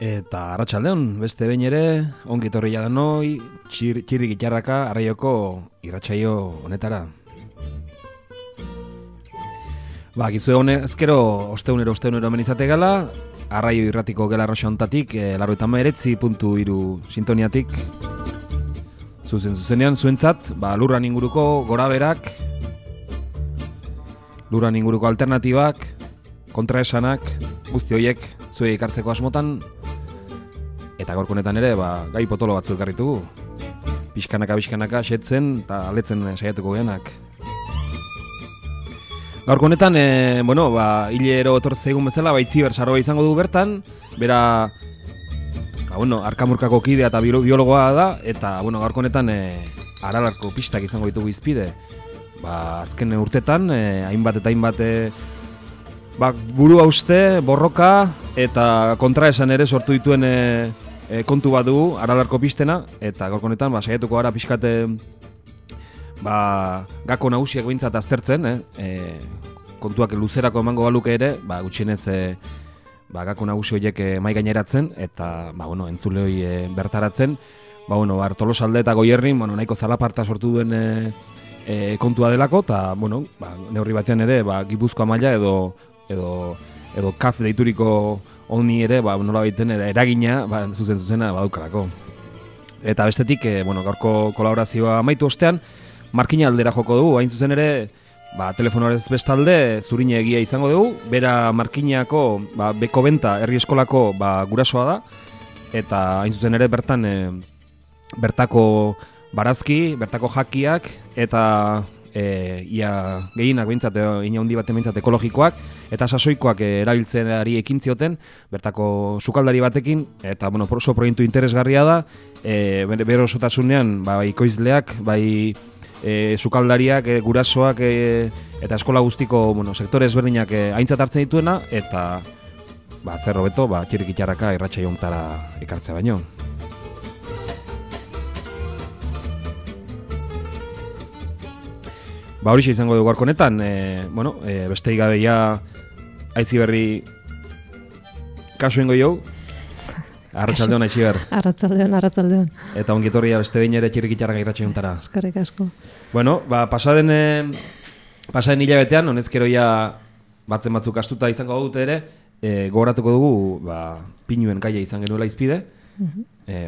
Eta arratsaldeon, beste behin ere, ongi etorri jadanoi, txirri gitarraka arraioko irratsaio honetara. Gizue honezkero, osteunero hemen izate gala, arraio irratiko gela arroxa hontatik, 89.3 sintoniatik, zuzenean, zuentzat, lurran inguruko goraberak, lurran inguruko alternatibak, kontraesanak, guzti horiek zuei ekartzeko asmotan, eta gaurko honetan ere, gai potolo batzu ekarritugu. Pixkanaka xetzen eta aletzen saiatuko geanak. Gaurko honetan, hilero etortzeigun bezala, Itziber Saroa izango dugu bertan, bera, arkamurkako kidea eta biologoa da, eta, gaurko honetan, Aralarko pistak izango ditugu izpide. Azken urtetan, hainbat eta hainbat, burua uste, borroka, eta kontraesan ere sortu dituen kontu bat dugu, Aralarko pistena, eta gaurko honetan, saiatuko gara pixkate, gako nagusiak behintzat aztertzen, kontuak luzerako emango baluke ere, gutxienez gako nagusi horiek mai gaineratzen, eta entzule hori bertaratzen, Tolosalde eta Goierrin nahiko zalaparta sortu duen kontua delako, eta neurri batean ere Gipuzkoa maila edo kaf deituriko honi ere nola baiten eragina zuzena badukalako. Eta bestetik, gaurko kolaborazioa amaitu ostean, Markina aldera joko dugu, hain zuzen ere, telefonoarez bestalde zurine egia izango dugu, bera Markinako Beko Benta herri eskolako gurasoa da, eta hain zuzen ere bertan bertako barazki, bertako jakiak, eta ia gehienak behintzat, ina handi baten behintzat ekologikoak, eta sasoikoak erabiltzenari ekin zioten, bertako sukaldari batekin, eta oso proiektu interesgarria da, bere osotasunean, ikoizleak, sukaldariak, gurasoak, eta eskola guztiko sektore ezberdinak aintzat hartzen dituena, eta zer hobeto, txirrikitxarraka irratsaio honetara ekartzea baino. Horixe izango dugu gaurko honetan, beste gabeia Aitziberri kasu ingo jau. Arratsaldeon Aitziber. Arratsaldeon. Eta ongi etorria beste behin ere txirrikitxarraka irratsaio honetara. Eskerrik asko. Pasaden hilabetean, honezkero batzen batzuk astuta izango dute ere, gogoratuko dugu pinuen gaia izan genuela izpide.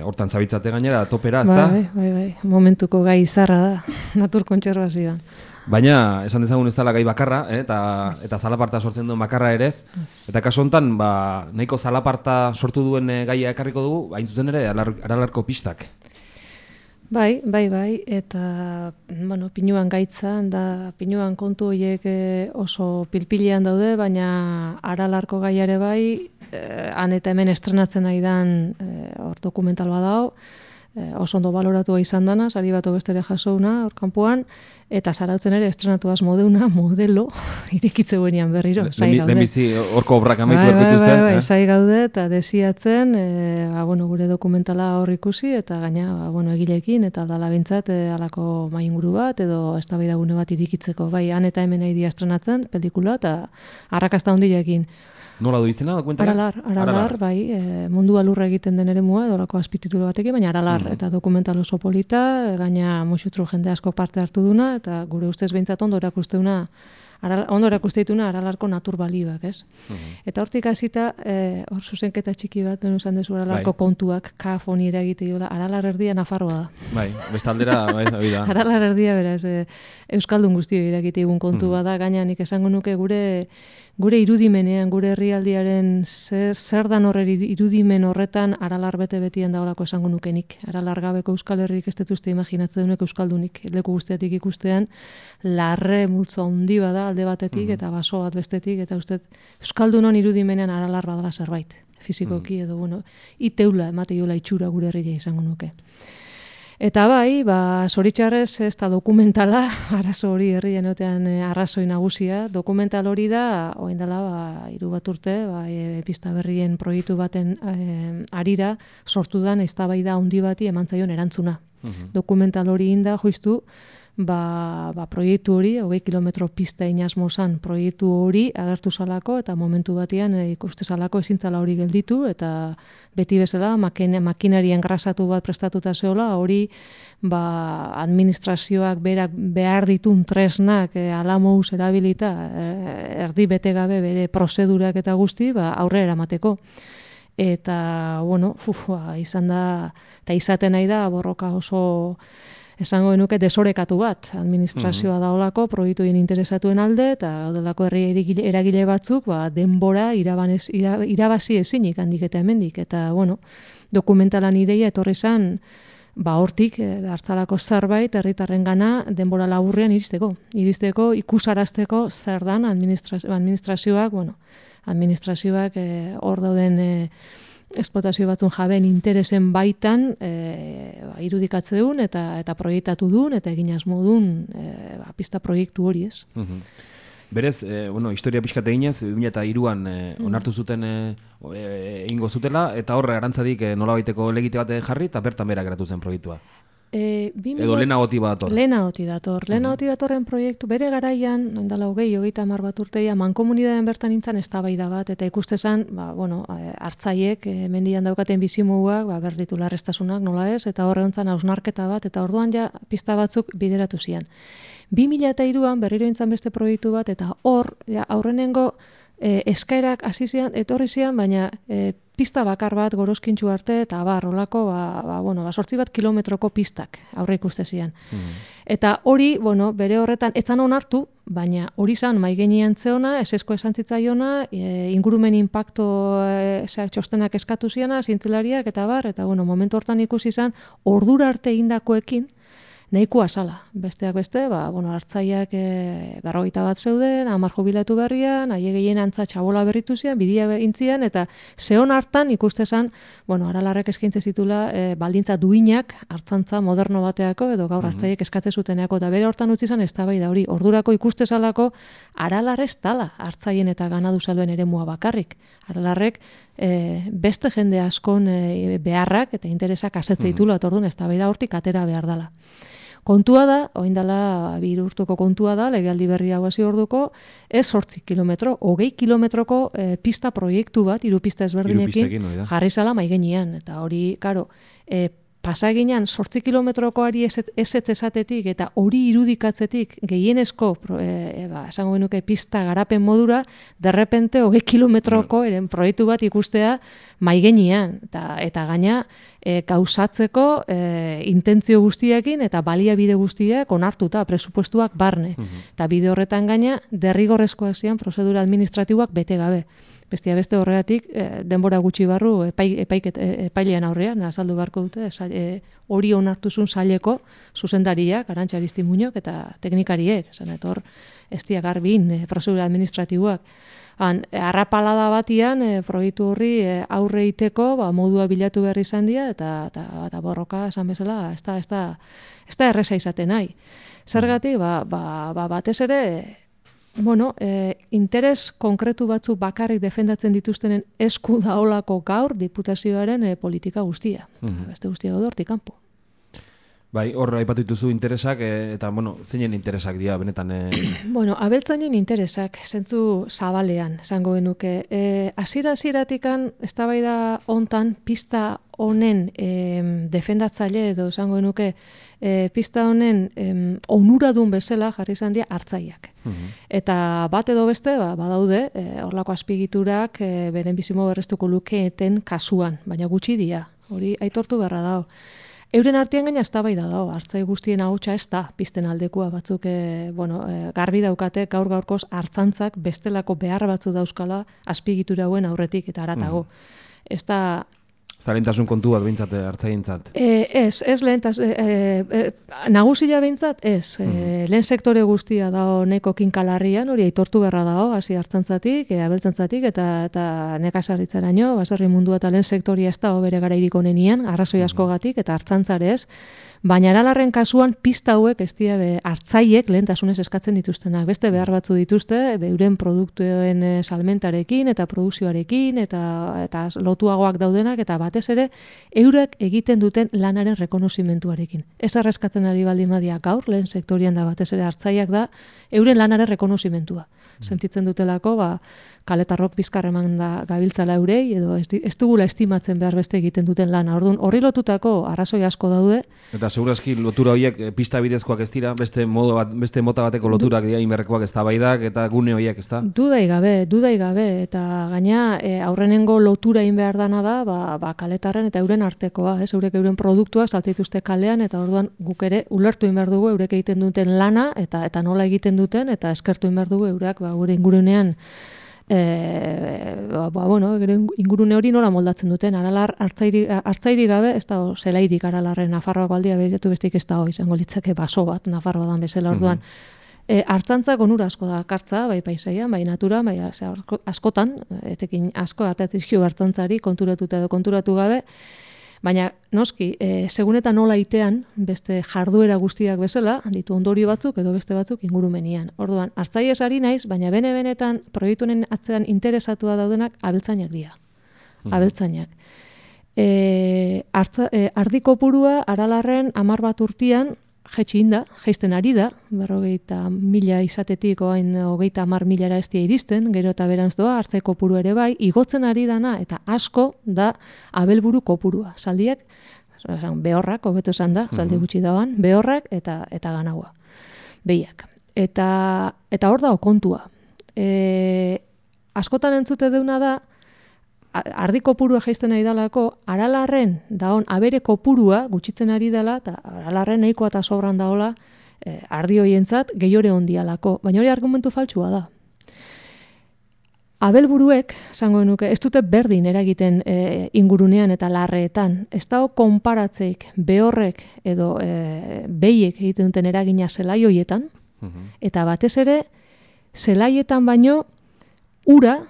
Hortan zabitzate gainera, topera, ezta? Bai. Momentuko gai izarra da, natur kontserbazioan. Baina, esan dezagun ez dela gai bakarra, eta zalaparta sortzen duen bakarra ere ez. Eta kasu honetan, nahiko zalaparta sortu duen gaia ekarriko dugu, hain zuzen ere, Aralarko pistak. Bai, eta, pinuan gaitza, pinuan kontu horiek oso pilpilean daude, baina Aralarko gaiare bai, han eta hemen estrenatzen nahi dan dokumental bat dago, oso ondo baloratua izan dana, sari bat bestere jasouna hor kanpoan, eta Zarautzen ere estrenatu asmodeuna modelo irikitze buenean berriro. Lehenbizi horko obrak amaitu erketuzte. Bai, zai gaude eta desiatzen, gure dokumentala hor ikusi, eta gaina, egilekin, eta dala bintzat alako mainguru bat, edo eztabaidagune bat irikitzeko. Bai, han eta hemen nahi estrenatzen, pelikula, eta arrakasta hondilekin. Nola du izena, dokumentala? Aralar, bai, mundu alurra egiten den ere mua, edolako azpititulu batekin, baina Aralar, eta dokumental oso polita, gaina muxutru jende asko parte hartu duna, eta gure ustez behintzat ondo erakusteuna Aralarko natur balioak, ez? Eta hortik hasita, hor zuzenketa txiki bat, lehen usan dezu Aralarko kontuak, kafoni eragite jola, Aralar erdia Nafarroa da. Bai, bestaldera, bai, da. Aralar erdia, beraz, Euskaldun guztio eragite egun kontu bada, gaina nik esango nuke gure irudimenean, gure herrialdiaren zer dan horre irudimen horretan Aralar bete-betien daolako esango nukenik. Aralar gabeko Euskal Herrik ez detuzte imaginatzen dunek Euskaldunik. Leku guztiatik ikustean, larre multzo handi bada alde batetik eta baso bat bestetik, eta uste Euskaldunon irudimenean Aralar badala zerbait. Fizikoki edo, iteula, emate jola itxura gure herria izango nuke. Eta bai, zoritxarrez ez da dokumentala, arazo hori herrien otean arrazoi nagusia. Dokumental hori da, oain dela, 3 bat urte, pista berrien proiektu baten arira, sortu dan eztabaida handi bati eman zaion erantzuna. Dokumental hori inda, justu, proiektu hori, 20 kilometro pista inazmo zan proiektu hori agertu zalako, eta momentu batean ikuste zalako ezintzala hori gelditu, eta beti bezala makinarien grasatu bat prestatuta zeola, hori administrazioak behar ditun tresnak alamouz erabilita, erdi bete gabe bere prozedurak eta guzti, aurre eramateko. Eta, izan da, eta izaten nahi da, borroka oso esango genuke desorekatu bat, administrazioa daolako, proiektuien interesatuen alde, eta gaudelako herri eragile batzuk, denbora irabazi ezinik handik eta hemendik. Eta, dokumentalan ideia etorri zan, hortik, hartzalako zerbait, herritarren gana, denbora laburrean iristeko, ikusarazteko zer dan administrazioak, administrazioak hor dauden esplotazio batzun jabeen interesen baitan irudikatze duen eta proiektatu duen eta egin asmo duen pista proiektu hori, ez. Berez, historia pixkat eginez, 2003an onartu zuten ingo zutela, eta horre arantzadik nolabaiteko legite bat jarri, eta bertan bera geratu zen proiektua. Edo lehenagoti dator. Lehenagoti datorren proiektu, bere garaian, ondala 20-30 bat urteia, mankomunidadean bertan nintzen eztabaida bat, eta ikustezan, hartzaiek, mendian daukaten bizimuguak, berditu larrestasunak, nola ez, eta horre ontzan hausnarketa bat, eta orduan ja pista batzuk bideratu zian. 2003an berriro nintzen beste proiektu bat, eta hor, aurrenengo eskaerak hasi zian, etorri zian, baina pista bakar bat gorozkintxu arte, eta olako, 8 bat kilometroko pistak aurre ikuste zian. Eta hori, bere horretan, etzan onartu, baina hori zan maigenean zeona, esesko esan zitzaiona, ingurumen impacto txostenak eskatu ziana, zientzelariak, eta momentu hortan ikusi zan, ordura arte indakoekin, nahikoa zala. Besteak beste, hartzaiak 50 bat zeuden, 10 jubilatu berrian, haie gehien antza txabola berritu zian, bidia intzian, eta zehon hartan ikustezan, Aralarrek eskaintze zitula baldintza duinak hartzantza moderno bateako, edo gaur hartzaiek eskatze zuteneako, eta bere hortan utzi zan eztabaida hori. Ordurako ikustezalako Aralar ez tala hartzaien eta ganadu saluen eremua bakarrik. Aralarrek beste jende askon beharrak eta interesak asetze ditula, eta orduan eztabaida hortik atera behar dela. Kontua da, oain dela 2 urtuko kontua da, legealdi berri hau hasi orduko, ez 8 kilometro, 20 kilometroko pista proiektu bat, 3 pista ezberdinekin, jarri zala maigenean. Eta hori, karo, pasaginan 8 kilometrokoari ez esatetik eta hori irudikatzetik gehienezko, esango genuke pista garapen modura, derrepente 20 kilometroko eren proiektu bat ikustea maigenean. Eta gaina, gauzatzeko intentzio guztiekin eta baliabide guztiak onartuta, presupuestuak barne. Eta bide horretan gaina, derrigorrezkoak zian prozedura administratiboak bete gabe. Bestia beste horregatik, denbora gutxi barru epailean aurrean, azaldu beharko dute, hori onartuzun saileko zuzendariak, Arantxa Aristimuñok eta teknikariek, hor, ez dia garbin, prozedura administratiboak. Arrapalada batian, proiektu horri aurre iteko, modua bilatu behar izan dira, eta borroka, esan bezala, ez da erreza izaten nahi. Zergatik, batez ere, interes konkretu batzu bakarrik defendatzen dituztenen esku daolako gaur diputazioaren politika guztia. Beste guztia gaude hortik kanpo. Bai, hor aipatu dituzu interesak, eta, zeinen interesak dira, benetan? Abeltzainen interesak, zentzu zabalean, esango genuke. Hasiera-hasieratikan, eztabaida hontan, pista honen defendatzaile edo, esango genuke, pista honen onuradun bezala jarri izan dira hartzaileak. Eta bat edo beste, badaude, horlako azpigiturak beren bizimo berrestuko lukeeten kasuan, baina gutxi dira, hori aitortu beharra dago. Euren artean gaina eztabaida dago, hartzai guztien ahotsa ez da pizten aldekoa, batzuk garbi daukate gaur-gaurkoz hartzantzak bestelako behar batzu dauzkala azpigitura hauen aurretik eta haratago. Ez da lehentasun kontu bat behintzat hartzaientzat? Ez nagusia behintzat, ez. Lehen sektore guztia dago neko kinkalarrian, hori aitortu beharra dago, hasi hartzantzatik, abeltzantzatik, eta nekazaritzaraino, baserri mundua eta lehen sektoria ez dago bere garairik onenian, arrazoi askogatik, eta hartzantzare ez. Baina Aralarren kasuan pista hauek ez dira hartzaiek lehentasunez eskatzen dituztenak. Beste behar batzu dituzte, euren produktuen salmentarekin eta produkzioarekin eta lotuagoak daudenak eta batez ere eurek egiten duten lanaren rekonozimentuarekin. Ez arreskatzen ari baldin badia gaur, lehen sektorian da batez ere hartzaiak da, euren lanaren rekonozimentua. Sentitzen dutelako, kaletarrok bizkarreman da gabiltzala eurei, edo ez dugula estimatzen behar beste egiten duten lana. Orduan, horri lotutako arrazoi asko daude. Eta segurazki lotura horiek pista bidezkoak ez dira, beste mota bateko loturak dira inberrekoak eztabaidak eta gune horiek, ez da? Dudai gabe, eta gaina aurrenengo lotura egin behar dana da, kaletarren eta euren artekoa, eurek euren produktuak saltzituzte kalean, eta orduan guk ere ulertu egin behar dugu eurek egiten duten lana, eta nola egiten duten, eta eskertu egin behar dugu eurak, gure ingurunean, ingurune hori nola moldatzen duten, Aralar hartzairi gabe, ez da zelairik Aralarren Nafarroako aldia behiratu bestik ez da izango litzake baso bat Nafarroa dan bezala orduan. Hartzantzak onura asko da kartza, bai paisaian, bai natura, bai askotan, etekin asko atatzizkio hartzantzari konturatuta edo konturatu gabe, baina noski, segun eta nola itean, beste jarduera guztiak bezala, ditu ondorio batzuk edo beste batzuk ingurumenian. Orduan, hartzaiez ari naiz, baina benetan proiektunen atzean interesatua daudenak abeltzainak dira. Abeltzainak. Ardi kopurua Aralarren 10 bat urtean jaisten ari da, 40.000 izatetik oain 30.000 ez dira iristen, gero eta berantz doa, hartzai kopuru ere bai, igotzen ari dana eta asko da abelburu kopurua. Zaldiak, behorrak, hobeto esan da, zaldi gutxi dauan, behorrak eta ganaua, behiak. Eta hor dago kontua. Askotan entzute deuna da, ardi kopurua jaisten nahi dalako, Aralarren daon abere kopurua gutxitzen ari dela, eta Aralarren nahikoa eta sobran daola ardi hoientzat gehiore ondialako. Baina hori argumentu faltsua da. Abelburuek, esango genuke, ez dute berdin eragiten ingurunean eta larreetan. Ez dago konparatzeik behorrek edo behiek egiten duten eragina zelai hoietan, eta batez ere, zelaietan baino ura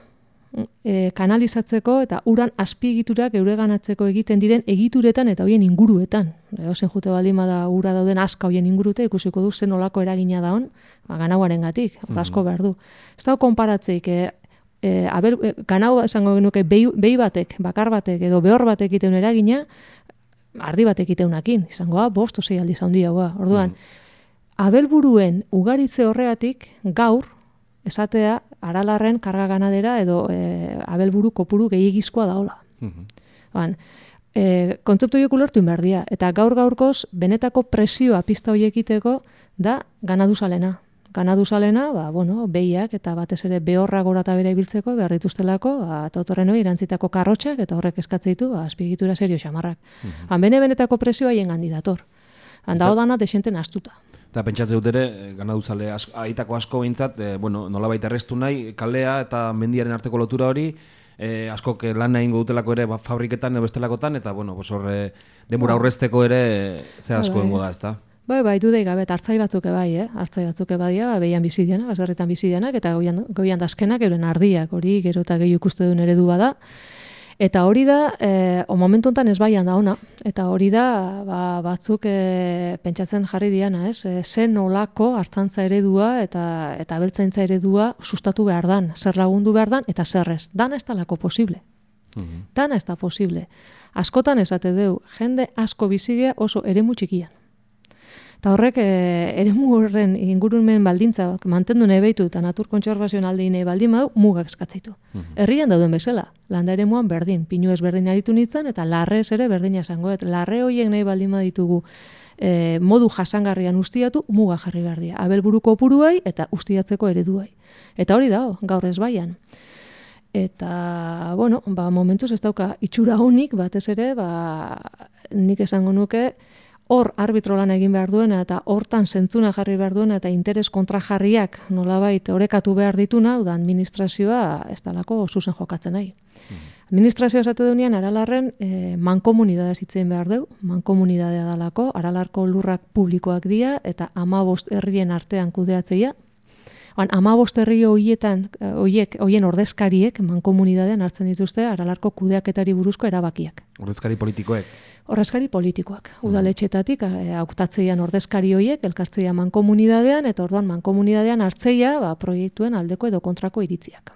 kanalizatzeko eta uran azpiegiturak eureganatzeko egiten diren egituretan eta hoien inguruetan. Ozen jute baldin bada ura dauden aska hoien ingurute, ikusiko du zen olako eragina daun, ganauaren gatik, asko behar du. Ez dago konparatzeik, ganau esango genuke behi batek, bakar batek edo behor batek egiten eragina, ardi batek egiteunakin, izangoa, 5 o 6 aldiz handiagoa. Orduan, abelburuen ugaritze horregatik gaur, esatea Aralarren karga ganadera edo abelburu kopuru gehiagizkoa daola. Kontzeptu horiek ulertu inberdia. Eta gaur-gaurkoz, benetako presioa pista horiekiteko da ganaduzalena. Ganaduzalena, behiak eta batez ere behorra gora eta bere ibiltzeko, behar dituztelako, totorren hori erantzitako karrotxak eta horrek eskatzen ditu, azpiegitura serio xamarrak. Benetako presioa hien gandidator. Handao dana desenten astuta. Eta pentsatze dut ere, ganaduzale aitako asko behintzat, nolabait errestu nahi, kalea eta mendiaren arteko lotura hori, askok lan egingo dutelako ere fabriketan edo bestelakotan, eta horre denbora aurrezteko ere ze asko dengo da, ezta? Bai, dudei gabe, hartzai batzuke bai, hartzai batzuke badia, behian bizidianak, baserritan bizidianak, eta goian dazkenak, euren ardiak, hori gero eta gehi ikuste duen eredu bada. Eta hori da, momentu honetan ez baian da ona, eta hori da batzuk pentsatzen jarri diana, zen nolako hartzantza eredua eta abeltzaintza eredua sustatu behar dan, zer lagundu behar dan, eta zer ez. Dana ez talako posible. Dana ez da posible. Askotan esate deu, jende asko bizigea oso eremu txikian. Eta horrek eremu horren ingurumen baldintza mantendu nahi behitu eta natur kontserbazioan alde nahi baldin badu mugak eskatzeitu. Herrian dauden bezala, landa eremuan berdin, pinu ez berdin aritu nintzen eta larrez ere berdina esango. Larre horiek nahi baldin baditugu modu jasangarrian ustiatu, muga jarri behar dira. Abelburuko opuruai eta ustiatzeko ereduai. Eta hori da, gaur ez baian. Eta, momentuz ez dauka itxura honik, batez ere, nik esango nuke, hor arbitro lan egin behar duena eta hortan zentzuna jarri behar duena eta interes kontrajarriak nolabait orekatu behar dituna, da administrazioa ez dalako zuzen jokatzen nahi. Administrazioa esate duenean Aralarren mankomunidadea zitzen behar deu, mankomunidadea dalako, Aralarko lurrak publikoak dira eta 15 herrien artean kudeatzeia. 15 herri hoien ordezkariek mankomunidadean hartzen dituzte Aralarko kudeaketari buruzko erabakiak. Ordezkari politikoek? Ordezkari politikoak. Udaletxetatik hautatzeian ordezkari hoiek, elkartzeia mankomunidadean, eta orduan mankomunidadean hartzeia proiektuen aldeko edo kontrako iritziak.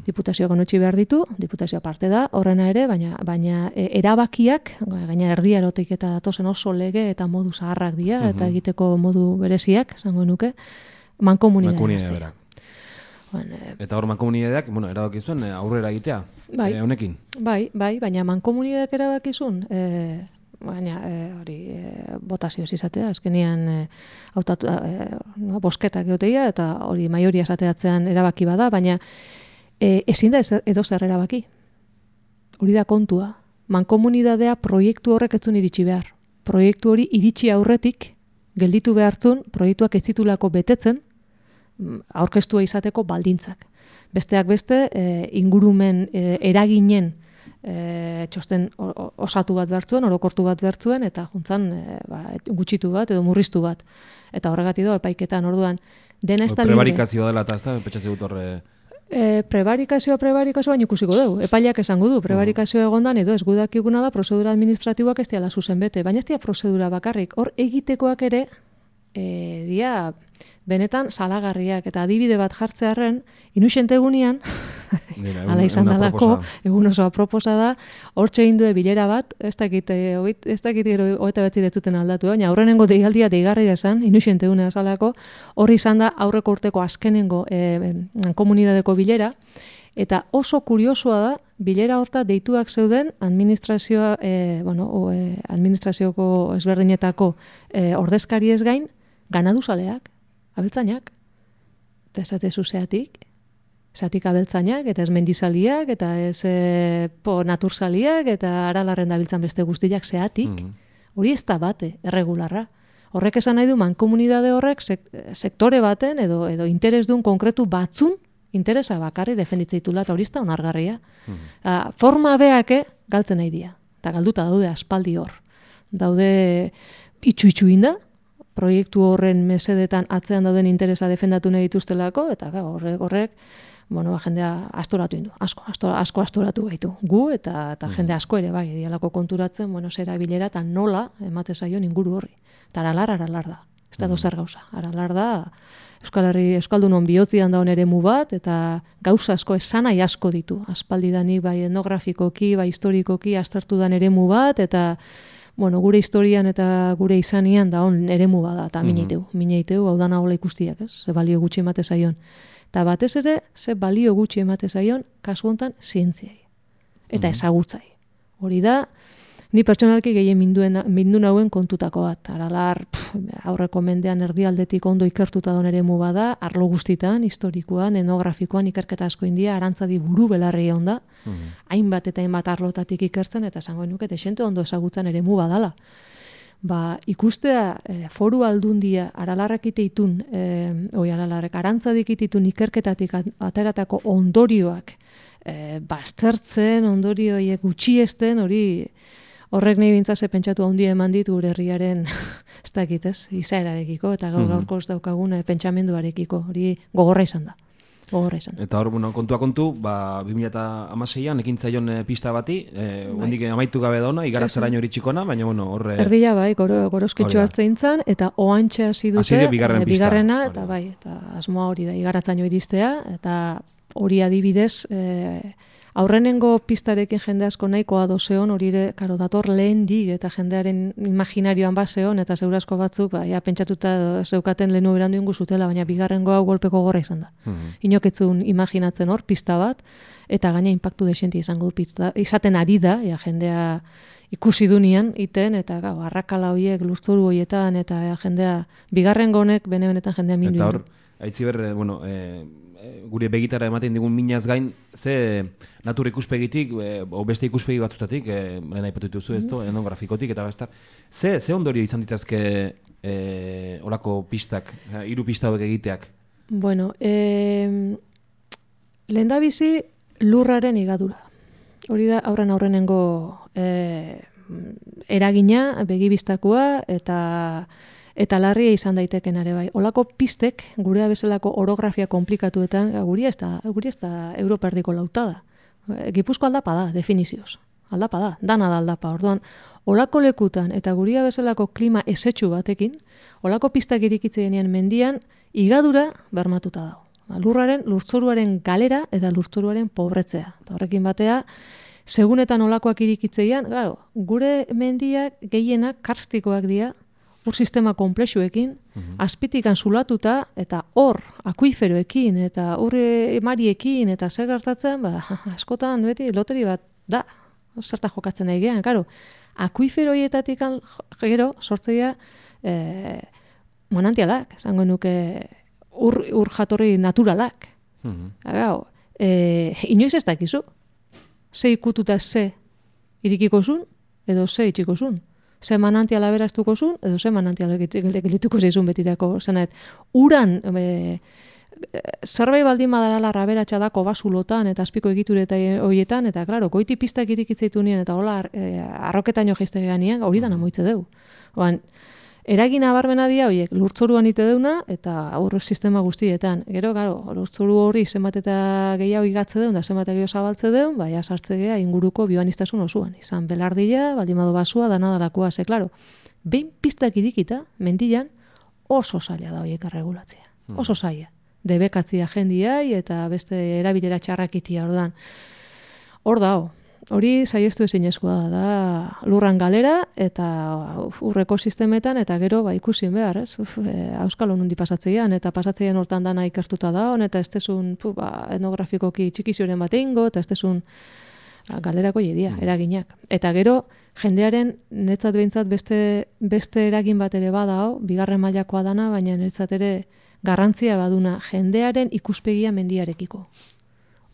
Diputazioak onotxi behar ditu, diputazioa parte da, horrena ere, baina erabakiak, gaina erdia erotik eta datozen oso lege eta modu zaharrak dira, eta egiteko modu bereziak, zango nuke, mankomunidadean hartzeia. Eta hor mankomunidadeak, erabaki zuen aurrera egitea, honekin? Bai, baina mankomunidadeak erabakizun, botazioz izatea, azkenian bosketak egoteia, eta hori maioria esateatzean erabaki bada, baina ezin da edo zer erabaki. Hori da kontua. Mankomunidadea proiektu horrek etzun iritsi behar. Proiektu hori iritsi aurretik, gelditu behartzun, proiektuak ez zitulako betetzen, aurkeztua izateko baldintzak. Besteak beste, ingurumen eraginen txosten osatu bat behartzuen, orokortu bat behartzuen, eta juntzan gutxitu bat edo murriztu bat. Eta horregatik do, epaiketan orduan, dena ez da libre. Prebarikazioa dela eta ez da, petxatze dut horre... Prebarikazioa baina ikusiko dugu. Epaileak esango du, prebarikazioa egondan edo ez gudakiguna da prozedura administratiboak ez diala zuzen bete, baina ez dira prozedura bakarrik. Hor egitekoak ere, dia benetan salagarriak eta adibide bat jartzearren, inuxente egunean, ala izan dalako, egun oso aproposa da, hortxe indue bilera bat, ez dakit gero hoeta betzi detzuten aldatu, baina aurrenengo deialdia deigarria esan, inuxente egunea salako, horri izan da aurreko urteko azkenengo komunidadeko bilera, eta oso kuriosoa da, bilera horta deituak zeuden administrazioko ezberdinetako ordezkari ez gain, ganaduzaleak, abeltzainak, eta esatezu zeatik abeltzainak, eta ez mendizaliak, eta ez naturzaliak, eta Aralarren dabiltzan beste guztiak zeatik, hori ez da bate, erregularra. Horrek esan nahi du mankomunidade horrek sektore baten edo interes duen konkretu batzun interesa bakarri defenditzeitula, eta hori ez da onargarria. Forma beake galtzen nahi dira, eta galduta daude aspaldi hor. Daude itxu inda, proiektu horren mesedetan atzean dauden interesa defendatu nahi dituztelako, eta horrek jendea astoratu indu, asko astoratu gaitu. Gu eta jende asko ere bai, dialako konturatzen, zera bilera eta nola emate zaion inguru horri. Eta aralar da, ez da dozer gauza. Aralar da, Euskaldunon bihotzian daun eremu bat, eta gauza asko esanai asko ditu. Aspaldidanik bai etnografikoki, bai historikoki aztertu dan eremu bat, eta gure historian eta gure izanian da on eremu bada, eta mineiteu, hau dana hola ikustiak, ze balio gutxi emate zaion. Eta batez ere, ze balio gutxi emate zaion, kasu hontan zientziai. Eta ezagutzai. Hori da, ni pertsonalki gehien mindu nauen kontutako bat. Aralar, aurreko mendean erdialdetik ondo ikertuta don eremu bada, arlo guztitan, historikoan, etnografikoan ikerketa asko india, arantzadi buru belarri onda, hainbat eta hainbat arlotatik ikertzen, eta esango nuke, desente ondo ezagutzen eremu badala. ikustea foru aldundia Aralarrek iteitun, Aralarrek Arantzadik iteitun ikerketatik ateratako ondorioak baztertzen, ondorioiek gutxiesten, horrek nahi bintzase pentsatu handia eman dit gure herriaren ez dakit ez, izaerarekiko eta gaurko ez daukagun pentsamenduarekiko, hori gogorra izan da. Eta hor, kontua kontu, 2016an ekintzaion pista bati, hondik amaitu gabe dauna, igaratzeraino hori txikona, baina hor... Erdia gorosketxo hartzein zan, eta oantxe hasi dute, bigarrena, eta eta asmoa hori da, igaratzaino iristea, eta hori adibidez, aurrenengo pistarekin jende asko nahikoa dozeon, hori dator lehen dig eta jendearen imaginarioan bazeon, eta zeurasko batzuk, pentsatuta zeukaten lehenu berandu ingu zutela, baina bigarrengo hau golpeko gorra izan da. Inoketzun imaginatzen hor, pista bat, eta gaina impactu desenti izango pista, izaten ari da, jendea ikusi dunian iten, eta arrakala horiek, lurzoru horietan, eta jendea, bigarrengo honek, benetan jendea mindu. Eta hor, aitziber, gure begitara ematen digun minaz gain, ze natur ikuspegitik, o beste ikuspegi batzutatik, lehen aipatu dituzu ez du, etnografikotik eta bestar, ze ondorio izan ditazke olako pistak, 3 pista hauek egiteak? Bueno, lehendabizi lurraren igadura. Hori da aurrenengo eragina, begibistakoa eta larria izan daiteken ere bai. Olako pistek, gurea bezalako orografia komplikatuetan, guri ez da Europa erdiko lautada. Gipuzko aldapa da, definizioz. Aldapa da, dana da aldapa. Orduan, olako lekutan eta guria bezalako klima esetxu batekin, olako pistak irikitzenean mendian, igadura bermatuta dago. Lurzoruaren galera eta lurzoruaren pobretzea. Eta horrekin batea, segunetan olakoak irikitzeian, gure mendiak gehienak karstikoak dira, ur sistema komplexuekin, azpitikan zulatuta, eta hor, akuiferoekin, eta ur emariekin, eta zer gertatzen, askotan beti loteri bat da, zerta jokatzen nahi gehan, akuiferoietatik gero sortzeia manantialak, esango nuke ur jatorri naturalak. Inoiz ez dakizu, ze ikututa ze irikiko zun, edo ze itxiko zun. Ze manantiala beraztuko zun, edo ze manantiala gelituko zeizun betirako. Zenet, uran, zerbait baldin badarala raberatxa dako basulotan, eta azpiko egitureta horietan, eta, klaro, goiti pistak irikitzeitu nien, eta hola, arroketaino geizte geanian, hori dana moitze deu. Eragina barmena dia, horiek, lurtzoruan ite deuna, eta aurre sistema guztietan. Gero, lurtzoru hori zenbat eta gehiago igatze deun, da zenbat gehiago zabaltze deun, baina sartze geha inguruko bioanistasun osuan. Izan belardila, baldimado basua, danadalakoa, ze, klaro, behin pistak irikita, mendian, oso zaila da horiek erregulatzea. Oso zaila. Debekatzia jendiai, eta beste erabilera txarrakitia, ordan. Hor da, hori saiestu ezinezkoa da lurran galera eta ur ekosistemetan eta gero ikusi behar, ez? Auskalo nundi pasatzeian eta pasatzeian hortan dana ikertuta da, eta ez tezun etnografikoki txikizioren bat egingo, eta ez tezun galerako jedia, eraginak. Eta gero, jendearen netzat behintzat beste eragin bat ere badao, bigarren mailakoa dana, baina netzat ere garrantzia baduna jendearen ikuspegia mendiarekiko.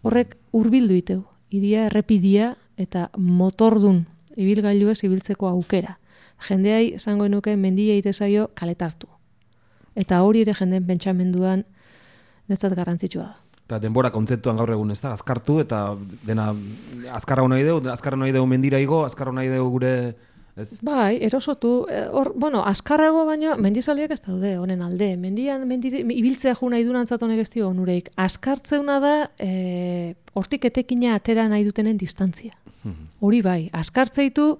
Horrek hurbildu iteu, iria errepidia eta motordun ibilgailuez ibiltzeko aukera. Jendeai esango nuke mendia itezaio kaletartu. Eta hori ere jendeen pentsamenduan netzat garrantzitsua da. Eta denbora kontzeptuan gaur egun ez da, azkartu eta dena azkarra nahi dugu mendira igo, azkarra nahi dugu gure... Ez? Bai, erosotu, azkarrago baino mendizaldiak ez daude, honen alde. Mendian ibiltzea ju nahi durantzat honek ez dio onureik. Azkartzeuna da, hortik etekina atera nahi dutenen distantzia. Hori bai, azkartzeitu,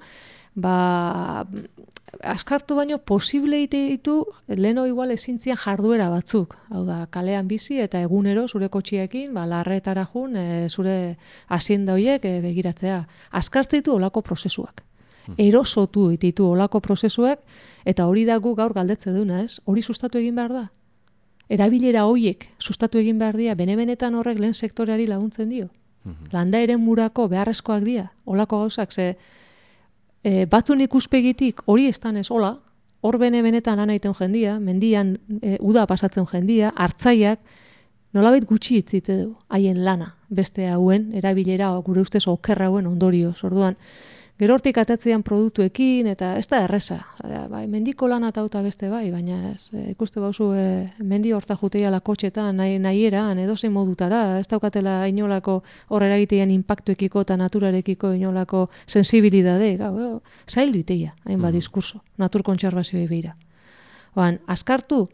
azkartu baino posible ditu leheno igual ezintzian jarduera batzuk. Hau da, kalean bizi eta egunero zure kotxiekin, larretara jun, zure hazienda horiek begiratzea. Azkartzeitu olako prozesuak. Erosotu ditu olako prozesuak, eta hori dago gaur galdetze duna, ez? Hori sustatu egin behar da. Erabilera horiek sustatu egin behar dira, benetan horrek lehen sektoreari laguntzen dio. Landa eren murako beharrezkoak dira, olako gauzak, ze batzun ikuspegitik hori estan ez hola, hor benetan lan egiten jendia, mendian uda pasatzen jendia, hartzaiak, nolabait gutxi itzite du, haien lana, beste hauen, erabilera gure ustez okerra hauen ondorioz. Orduan, Gero hortik atatzean produktuekin, eta ez da erreza. Bai, mendiko lan eta beste bai, baina ez, ikuste bauzu mendi horta juteia lakotxetan, nahieran, edozein modutara, ez daukatela inolako horrera egitean impactuekiko eta naturarekiko inolako sensibilidade, zaildu iteia, hainbat diskurso, natur kontserbazioei beira. Askartu,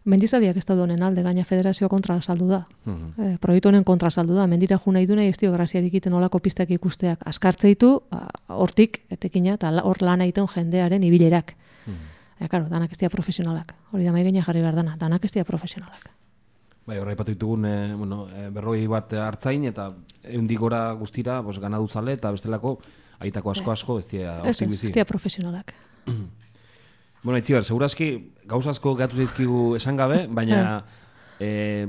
mendizaliak ez daude honen alde, gaina federazio kontra saldu da. Proiektu honen kontra saldu da. Mendira ju nahi du nahi ez dio graziarik iten olako pistak ikusteak. Askartzeitu, hortik, etekina, eta hor lan egiten jendearen ibilerak. Karo, danak ez dira profesionalak. Hori da maigena jarri behar dana, danak ez dira profesionalak. Bai, horra ipatu ditugun, 40 bat hartzain, eta 100 gora guztira, ganaduzale, eta bestelako, aitako asko, ez dira hortik bizi. Ez dira profesionalak. Bueno, Itziber, segurazki gauza asko gatu zaizkigu esan gabe, baina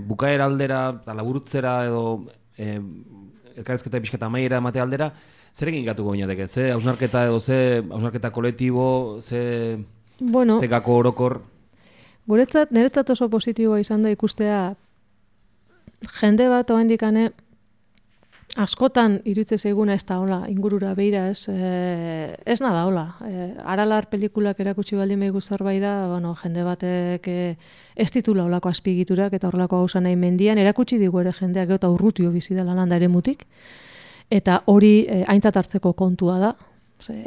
bukaera aldera, eta laburutzera edo elkarrezketa pixkata amaiera emate aldera, zer egin gatuko binateke? Ze hausnarketa edo ze hausnarketa kolektibo, ze gako orokor? Niretzat oso positiboa izan da ikustea jende bat oendikane askotan iruditze zaiguna ez da hola, ingurura beira ez nada hola. Aralar pelikulak erakutsi baldin behigu zerbait da, jende batek ez ditula holako azpigiturak eta horrelako gauza nahi mendian, erakutsi digu ere jendeak eta urrutio bizi dela landa ere mutik, eta hori aintzat hartzeko kontua da.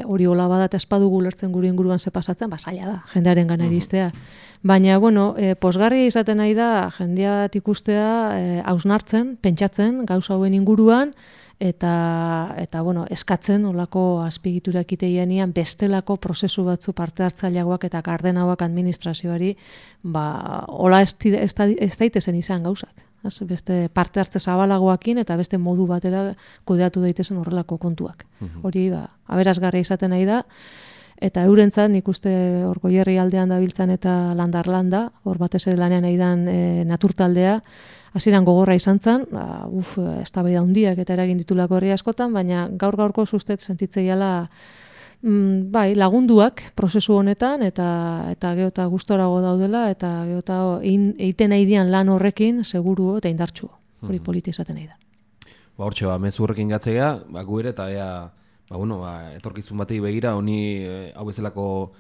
Hori hola bada eta espadugu lertzen gure inguruan ze pasatzen, zaila da, jendearen gana iristea. Baina, posgarria izaten nahi da, jendea bat ikustea hausnartzen, pentsatzen, gauza hauen inguruan, eta eskatzen olako azpigiturak iteianian bestelako prozesu batzu parte hartzaileagoak eta gardenauak administrazioari, hola ez daitezen izan gauzak. Beste parte hartze zabalagoakin eta beste modu batera kudeatu daitezen horrelako kontuak. Hori aberasgarria izaten nahi da, eta eurentzat nik uste hor Goierri aldean dabiltzan eta landarlanda, hor batez ere lanean nahi dan naturtaldea, hasieran gogorra izan zen, eztabaida handiak eta eragin ditulako herri askotan, baina gaur-gaurko ustet sentitzeiala lagunduak prozesu honetan eta geota gustorago daudela eta geota egiten nahi dian lan horrekin seguru eta indartsu. Hori politi izaten nahi da. Hortxe, mezu horrekin gatzea, gu ere eta etorkizun batei begira, honi hau bezalako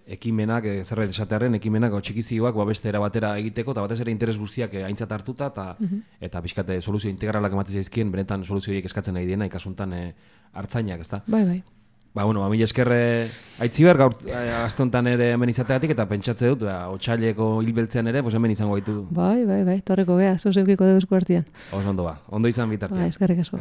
ekimenak, zerbait esatearen ekimenak txikizioak beste era batera egiteko, eta batez ere interes guztiak aintzat hartuta, eta pixkate soluzio integralak ematen zaizkien, benetan soluzio horiek eskatzen nahi diena, ikasuntan hartzainak, ezta? Bai. Mila eskerre Aitziber, gaur aste honetan ere hemen izateatik, eta pentsatze dut, otsaileko hilbeltzean ere, hemen izango gaitu. Bai, torreko gea, zozeukiko dugu eskuartian. Ondo izan bitartean. Eskerrik asko.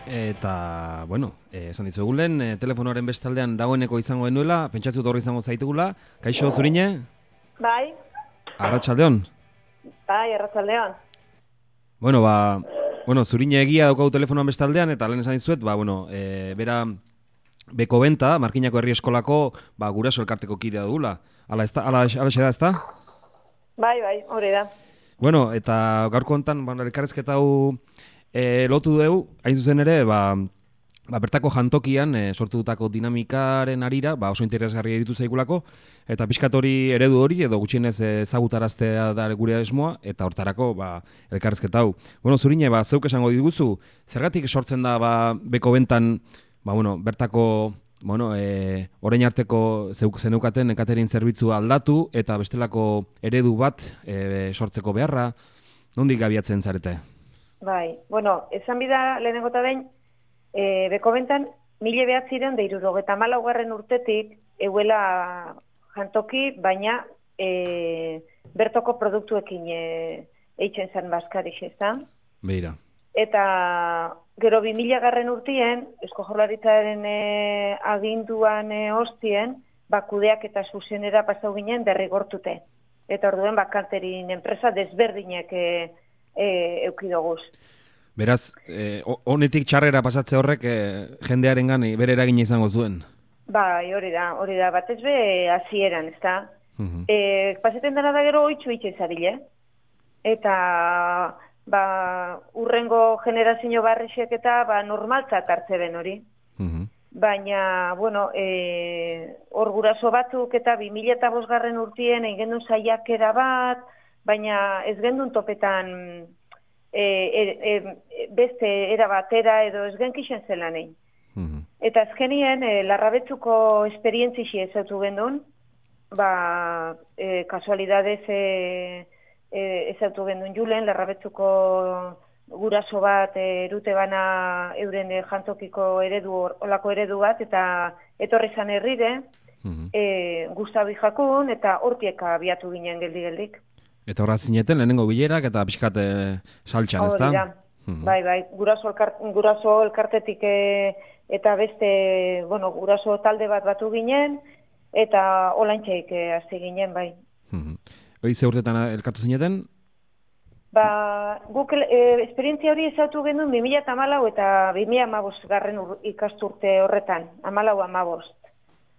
Eta, bueno, esan dizugulen, telefonoaren bestaldean dagoeneko izango genuela, pentsatzu horri izango zaitugula. Kaixo, Zurine? Bai. Arratsaldeon? Bai, arratsaldeon. Bueno, Zurine egia daukau telefonoan bestaldean, eta lehen esan dizuet, bera Beko Benta, Markinako Herri Eskolako, guraso elkarteko kidea dugula. Ala xe da, ezta? Bai, hori da. Bueno, eta gaurko hontan, elkarrezketa hau lotu dugu, hain zuzen ere, bertako jantokian sortutako dinamikaren arira, oso interesgarria iritu zaigulako, eta pixkat hori eredu hori, edo gutxienez ezagutaraztea da gure esmoa, eta hortarako elkarrezketa hau. Bueno, Zurine, zeuk esango diguzu, zergatik sortzen da Beko Bentan, bertako, orain arteko zeneukaten catering zerbitzua aldatu, eta bestelako eredu bat sortzeko beharra, nondik abiatzen zarete? Bai, esan bida lehenengo eta behin, Beko Bentan, 1974 urtetik, euela jantoki, baina bertoko produktuekin eitzen zen Baskarix, ez da? Beira. Eta gero 2000 urtien, Eusko Jaurlaritzaren aginduan hostien, kudeak eta zuzenera pasau ginen derrigortute. Eta orduen catering enpresa desberdinek eukidoguz. Beraz, honetik txarrera pasatze horrek jendearengan bere eragina izango zuen? Bai, hori da, batez be hasieran, ez da? Paseten dena da gero oitxu itxezarile. Eta urrengo generazio barrixek eta normaltzat hartze ben hori. Baina, hor guraso batzuk eta 2005 urtien egin gendun saiakera bat, baina ez gendun topetan beste era batera edo ez genkixen zelan egin. Eta azkenien, Larrabetzuko esperientzixi ezautu gendun, kasualidadez ezautu gendun julen, Larrabetzuko guraso bat erute bana euren jantokiko olako eredu bat, eta etorri zan herrire, Gustavi Jakun, eta hortieka abiatu ginen geldik. Eta horra zineten, lehenengo bilerak eta pixkat saltxan, ez da? Bai, guraso elkartetik eta beste, guraso talde bat batu ginen, eta olaintxeik hasi ginen, bai. Hoi ze urtetan elkartu zineten? Guk esperientzia hori ezautu genuen 2014 eta 2015 ikasturte horretan, 14-15,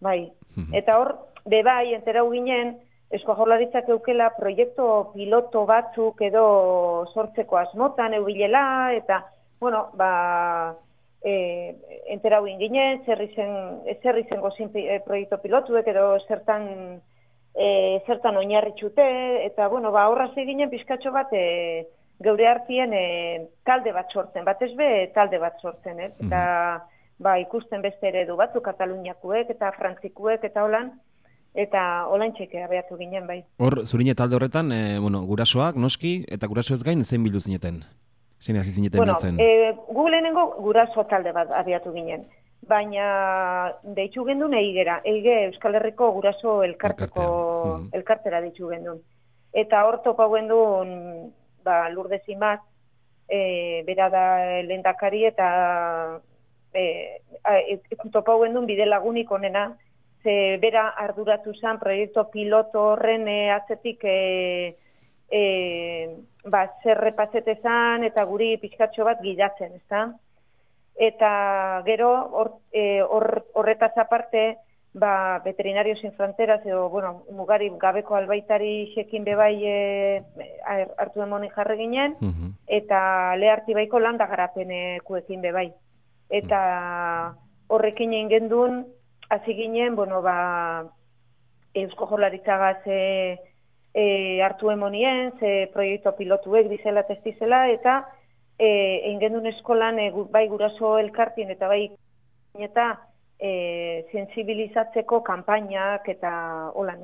bai. Eta hor, bai, enterau ginen, Eusko Jaurlaritzak eukela proiektu piloto batzuk edo sortzeko asmotan eubilela, eta, enterau ginen, zer izango proiektu pilotuek edo zertan oinarritxute, eta, horraz eginen pizkatxo bat geure hartien talde bat sortzen, batez be talde bat sortzen, eta ikusten beste eredu batzu, Kataluniakuek eta Frantzikuek eta holan, eta olaintxeke abeatu ginen, bai. Hor, Zurine talde horretan, gurasoak, noski, eta guraso ez gain, zein bildu zineten? Zein hasi zineten biltzen? Gu lehenengo guraso talde bat abiatu ginen. Baina deitu gendun Eige Euskal Herriko guraso elkartera deitu gendun. Eta hor topa gendun Lourdes Imaz, bera da lehendakari, eta topa gendun bide lagunik onena, ze bera arduratu zen proiektu piloto horren atzetik zer repazetezan eta guri pixkatxo bat gidatzen, ezta? Eta gero, horretaz aparte, Veterinarios Sin Fronteras, edo, mugari gabeko albaitari xekin bebai hartu demoni jarri ginen, eta leharti baiko landa garapenekuekin bebai. Eta horrekin egin gendun, hasi ginen, Eusko Jaurlaritzagaz hartu emonien, ze proiektu pilotuek dizela testizela, eta egin gendun eskolan bai guraso elkartien eta bai eta sensibilizatzeko kanpainak eta holan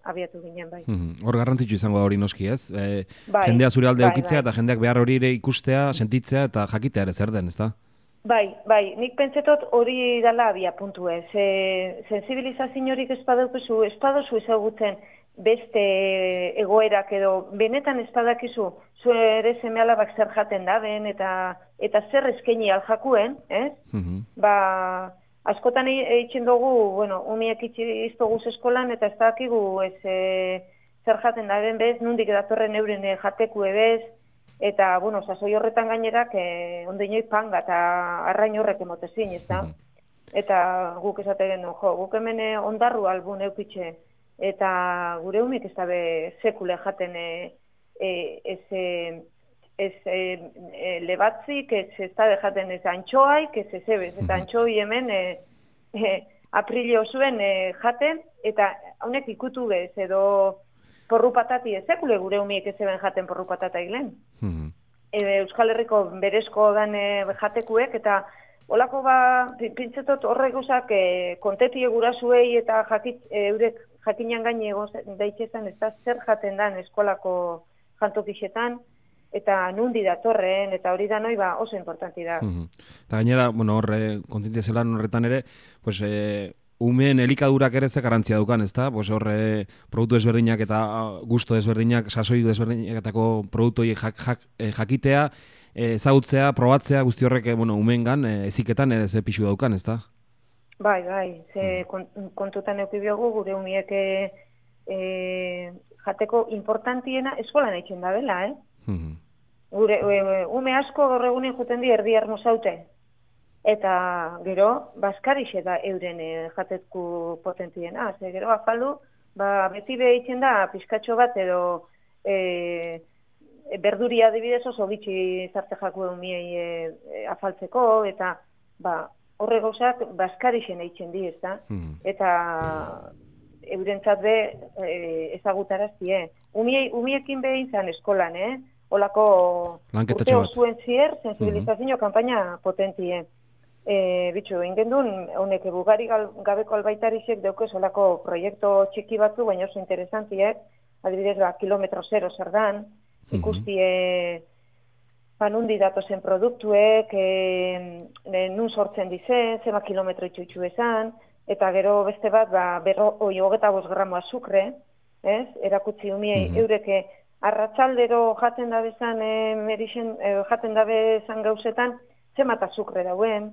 abiatu ginen, bai. Hor garrantzitsu izango da hori noski, ez? Jendea zure alde eukitzea eta jendeak behar hori ere ikustea, sentitzea eta jakitea ere zer den, ez da? Bai, nik pentsetot hori dala abia puntu ez. Sensibilizazio horik ez baduzu ezagutzen beste egoerak edo benetan ez badakizu zu ere seme-alabak zer jaten daben eta zer eskaini aljakuen, ez? Ba, askotan eitzen dugu, bueno, umiek iztoguz eskolan eta ez dakigu zer jaten daben bez, nundik datorren euren jatekue bez, eta, bueno, sasoi horretan gainerak ondeinoi panga eta arrain horrek emotezin, ez da? Eta guk esaten guk hemen ondarru albun eukitxe, eta gure umik ez dabe sekule jaten lebatzik, ez dabe jaten ez antxoaik, ez ebez, eta antxoi hemen aprilio zuen jaten, eta honek ikutu bez, edo porru patati ez sekule gure umik ez eben jaten porru patata iglen. Euskal Herriko berezko dan jatekuek, eta olako pintzetot horrek guzak kontetie gurasuei eta eurek jakinan gaine daitxezan ez da zer jaten dan eskolako jantokixetan, eta nundi datorren, eta hori da noi oso importanti da. Eta gainera, bueno, horre, kontzientzia zelan horretan ere, pues, umeen elikadurak ere ze garantzia dukan, ez da? Pues horre, produktu ezberdinak eta gusto ezberdinak, sasoi ezberdinaketako produktu jakitea, ezagutzea, probatzea, guzti horrek, bueno, umeengan, eziketan ze pixu daukan, ez da? Bai, ze kontutan eukibiogu gure umiek jateko importantiena eskolan eitzen da bela, Gure ume asko gaur egunen juten di erdi armozaute. Eta gero, baskarixe da euren jatetku potentiena. Ze gero, afaldu, beti behitzen da pizkatxo bat edo berduria adibidez oso bitxi zarte jaku eumiei afaltzeko, eta horre gauzak baskarixen eitzen di, ez da? Eta eurentzat be ezagutaraztie. Umiekin behin zan eskolan, Olako urte osuen zier, sensibilizazio kampaina potentie. Bitxu, ingendun, honek bugari gabeko albaitarisek deukez olako proiektu txiki batzu, baina oso interesantiek, adibidez, kilometro zero zer dan, ikustie nundi datozen produktuek, nun sortzen dizen, zema kilometro itxutxu esan, eta gero beste bat, 25 gramo azukre, erakutsi umiei eureke, arratsaldero jaten dabezan jaten dabezan gauzetan zemat azukre dauen,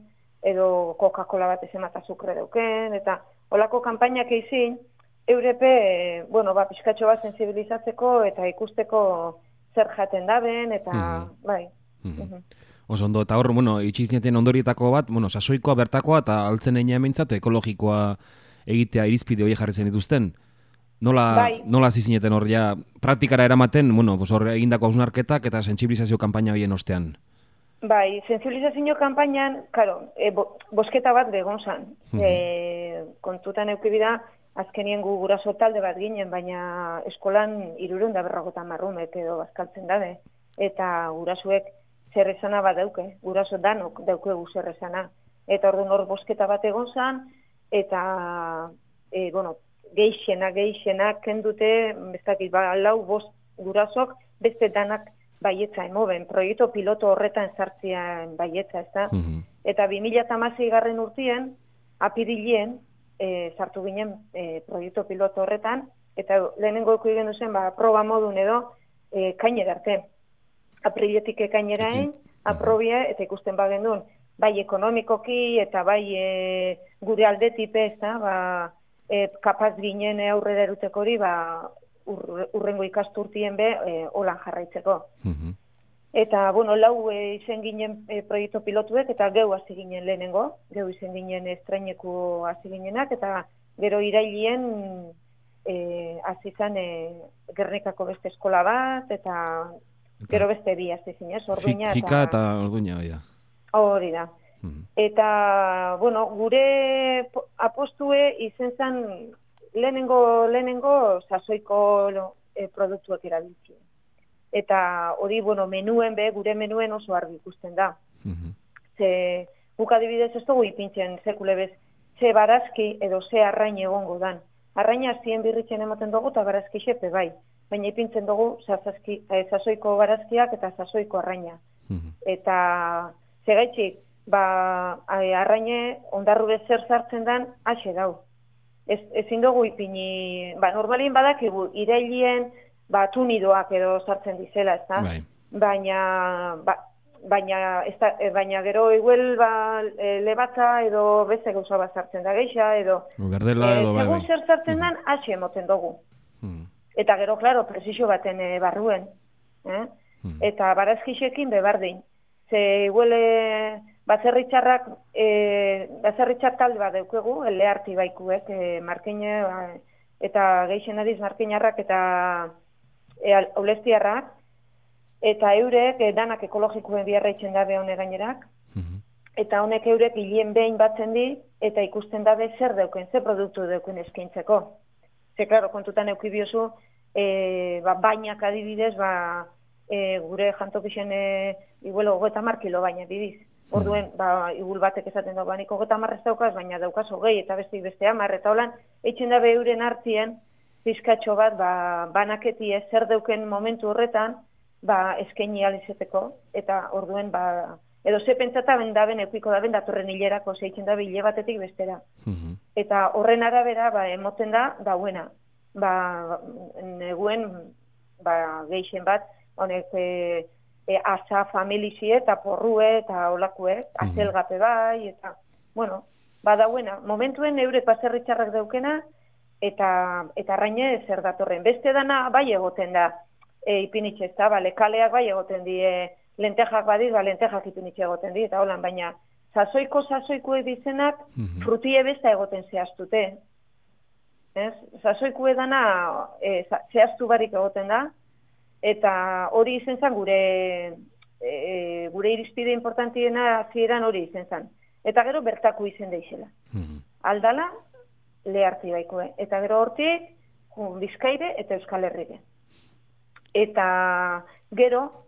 edo Coca-Cola bat zemat azukre dauken, eta olako kanpainak eizin, eurepe, pixkatxo bat sensibilizatzeko eta ikusteko zer jaten daben, eta bai. Oso ondo, eta hor, itxizineten ondorietako bat, sasoikoa bertakoa, eta altzen egin emintzat ekologikoa egitea irizpide hori jarri zen dituzten. Nola zizineten hor ja praktikara eramaten, hor egindako hausnarketak eta sentsibilizazio kanpaina horien ostean? Bai, sensibilizazio kanpainan, bosketa bat begon zan. Kontutan eukibida, azkenien guraso talde bat ginen, baina eskolan 350 marrumek edo bazkaltzen dabe. Eta gurasuek zerrezana bat dauke, guraso danok daukegu zerrezana. Eta orduan hor bosketa bat egon zan, eta, geixenak kendute, bestakit, 4-5 gurasok, beste danak baietza emoben, proiektu piloto horretan sartzean baietza, ez da? Eta 2016 garren urtien, apirilien, sartu ginen proiektu piloto horretan, eta lehenengo eko igen duzen, proba modun edo, kainera arte. Apriletik ekaineraen, aprobia, eta ikusten bagendun, bai ekonomikoki, eta bai gure aldetipe, ez da, kapaz ginen aurrera eruteko hori, urrengo ikasturtien be, holan jarraitzeko. Eta, 4 izen ginen proiektu pilotuek, eta geu hasi ginen lehenengo, geu izen ginen estraineku hasi ginenak, eta gero irailien hasi zan Gernikako beste eskola bat, eta gero beste bi hasi zinez, Orduña. Fika eta Orduña, hori da. Hori da. Eta, gure apostue izen zen lehenengo sasoiko produktuak erabiltzen. Eta hori, menuen gure menuen oso argi ikusten da. Ze, guk adibidez ez dugu ipintzen sekule bez, ze barazki edo ze arrain egongo dan. Arraina zien birritzen ematen dugu eta barazki xepe bai. Baina ipintzen dugu sasoiko barazkiak eta sasoiko arraina. Eta, segaitxik, arraine ondarru zer sartzen dan, ase dau. ezin dugu ipini, normalien badakigu, irailien, tunidoak edo sartzen dizela, ez da? Baina gero igual lebatza edo beste gauza bat sartzen da geixa, edo segun zer sartzen dan, hasi emoten dugu. Eta gero, klaro, presizio baten barruen. Eta barazkixekin bebardin. Ze igual baserritxar talde bat deukegu, leharti baikuek, markine, eta geixen adiz markinarrak eta aulestiarrak, eta eurek danak ekologikoen biarraitzen dabe hone gainerak, eta honek eurek hilien behin batzen di, eta ikusten dabe zer deuken, zer produktu deuken eskaintzeko. Ze, klaro, kontutan eukibiozu, bainak adibidez, gure jantokixen igual 30 kilo baina bidiz. Orduen, igul batek esaten dago, nik 30 ez daukaz, baina daukaz 20 eta beste 10, eta holan, eitzen dabe euren hartien, pizkatxo bat, banaketie zer deuken momentu horretan, eskaini alizeteko, eta orduen, edo ze pentsata bendaben, eukiko daben, datorren hilerako, zeitzen dabe hile batetik bestera. Eta horren arabera, emoten da, dauena. Neguen, geixen bat, honek, asa familizie eta porrue eta olakue, azelgape bai, eta, bueno, dauena. Momentuen eurek baserritxarrak daukena, eta arraine zer datorren. Beste dana bai egoten da, ipinitxe ez da, kaleak bai egoten di, lentejak badiz, lentejak ipinitxe egoten di, eta holan, baina sasoikue dizenak frutie besta egoten zehaztute. Sasoikue dana zehaztu barik egoten da, eta hori izen zen gure irizpide importantiena zieran hori izen zen. Eta gero bertaku izen deixela. Aldala, leharti baikue. Eta gero hortik, Bizkaire eta Euskal Herrire. Eta gero,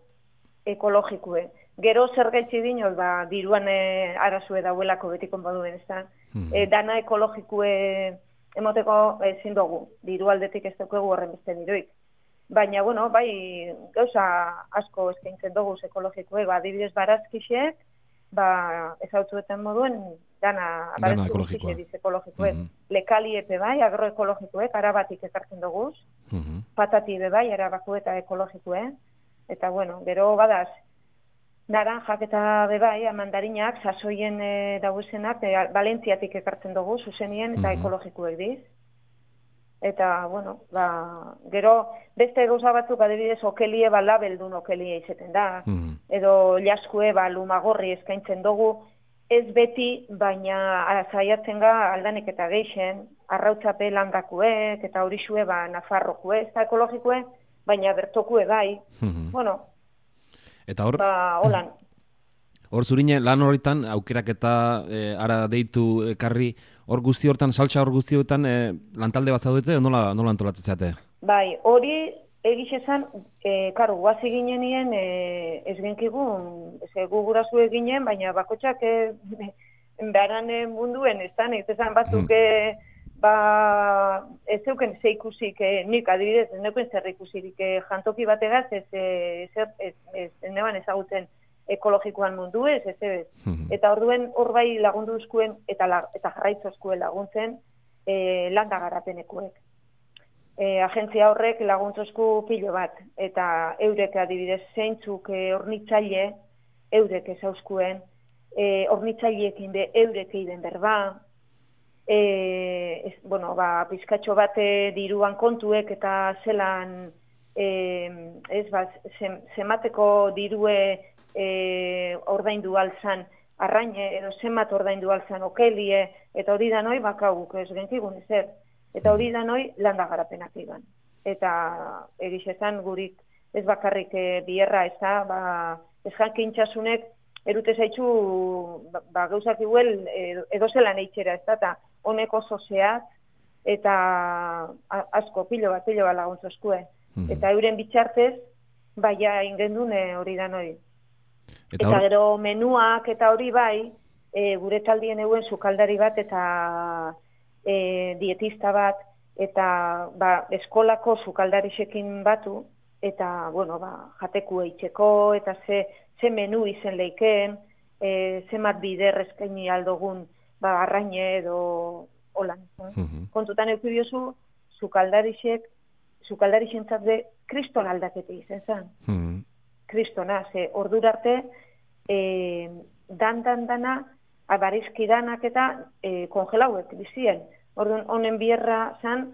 ekologikue. Gero zer gaitzi dinoz, diruan arazue dauelako betikon baduen, ez da. Dana ekologikue emoteko ezin dugu. Diru aldetik ez dugu horren beste diruik. Baina, bueno, bai, gauza asko eskaintzen dugu ekologikoek, adibidez barazkixek, ezautuetan moduen, dana ekologikoek. Lekali epe bai, agroekologikoek, arabatik ekartzen dugu, patati ebe bai, arabako eta ekologikoek, eta, bueno, gero badaz, naranjak eta bebai, mandarinak, sasoien dauzenak, Valentziatik ekartzen dugu, zuzenien eta ekologikoek diz. Eta, bueno, gero beste gauza batzuk adibidez okelie labeldun okelie izeten da. Edo jaskue lumagorri eskaintzen dugu, ez beti, baina zaiatzen ga aldanik eta geixen, arrautzape landakuek, eta horixue nafarrokue, ez da ekologikue, baina bertokue bai. Bueno, eta hor, holan. Hor zurine, lan horretan, aukerak eta ara deitu ekarri, hor guzti hortan, saltsa hor guzti hortan, lantalde bat zaudete, nola antolatzen zate? Bai, hori egixezan, karo, guazi ginenien, ez genkigun, gugurazu eginen, baina bakotxak beharan munduen, ez da, ez ezan batzuk, ez zeuken ze ikusik, nik adibidez, ez neuken zer ikusirik jantoki bategaz, ez neban ezagutzen ekologikoan mundu ez. Eta orduen hor bai lagundu eskuen eta jarraitzu eskuen laguntzen landa garapenekuek. Agentzia horrek laguntzu esku pilo bat, eta eurek adibidez zeintzuk hornitzaile, eurek ezauskuen, hornitzaileekin be eurek egiten berba, pizkatxo bat diruan kontuek eta zelan zemateko dirue ordaindu alzan arraine, edo zenbat ordaindu alzan okelie, eta hori da noi bakaguk ez genkigun ezer. Eta hori da noi landa garapenak iban. Eta egizezan gurik ez bakarrik bierra ez da, ez jankintxasunek erute zaitxu gauzak iguel edo zelan eitxera ez da, eta honek oso zehaz, eta asko pilo bat laguntzu eskue. Eta euren bitxartez, baina ingendune hori da noi. Eta gero menuak eta hori bai, gure taldien euen sukaldari bat eta dietista bat, eta eskolako sukaldarixekin batu, eta, jateku eitzeko, eta ze menu izen leiken, zemat bider eskaini aldogun, arraine edo holan. Kontutan eukidiozu, sukaldarixentzat de kriston aldaketi izen zen. Kristona, ze ordura arte, dana, abarizki danak eta kongelauek bizien. Orduan, honen bierra zen,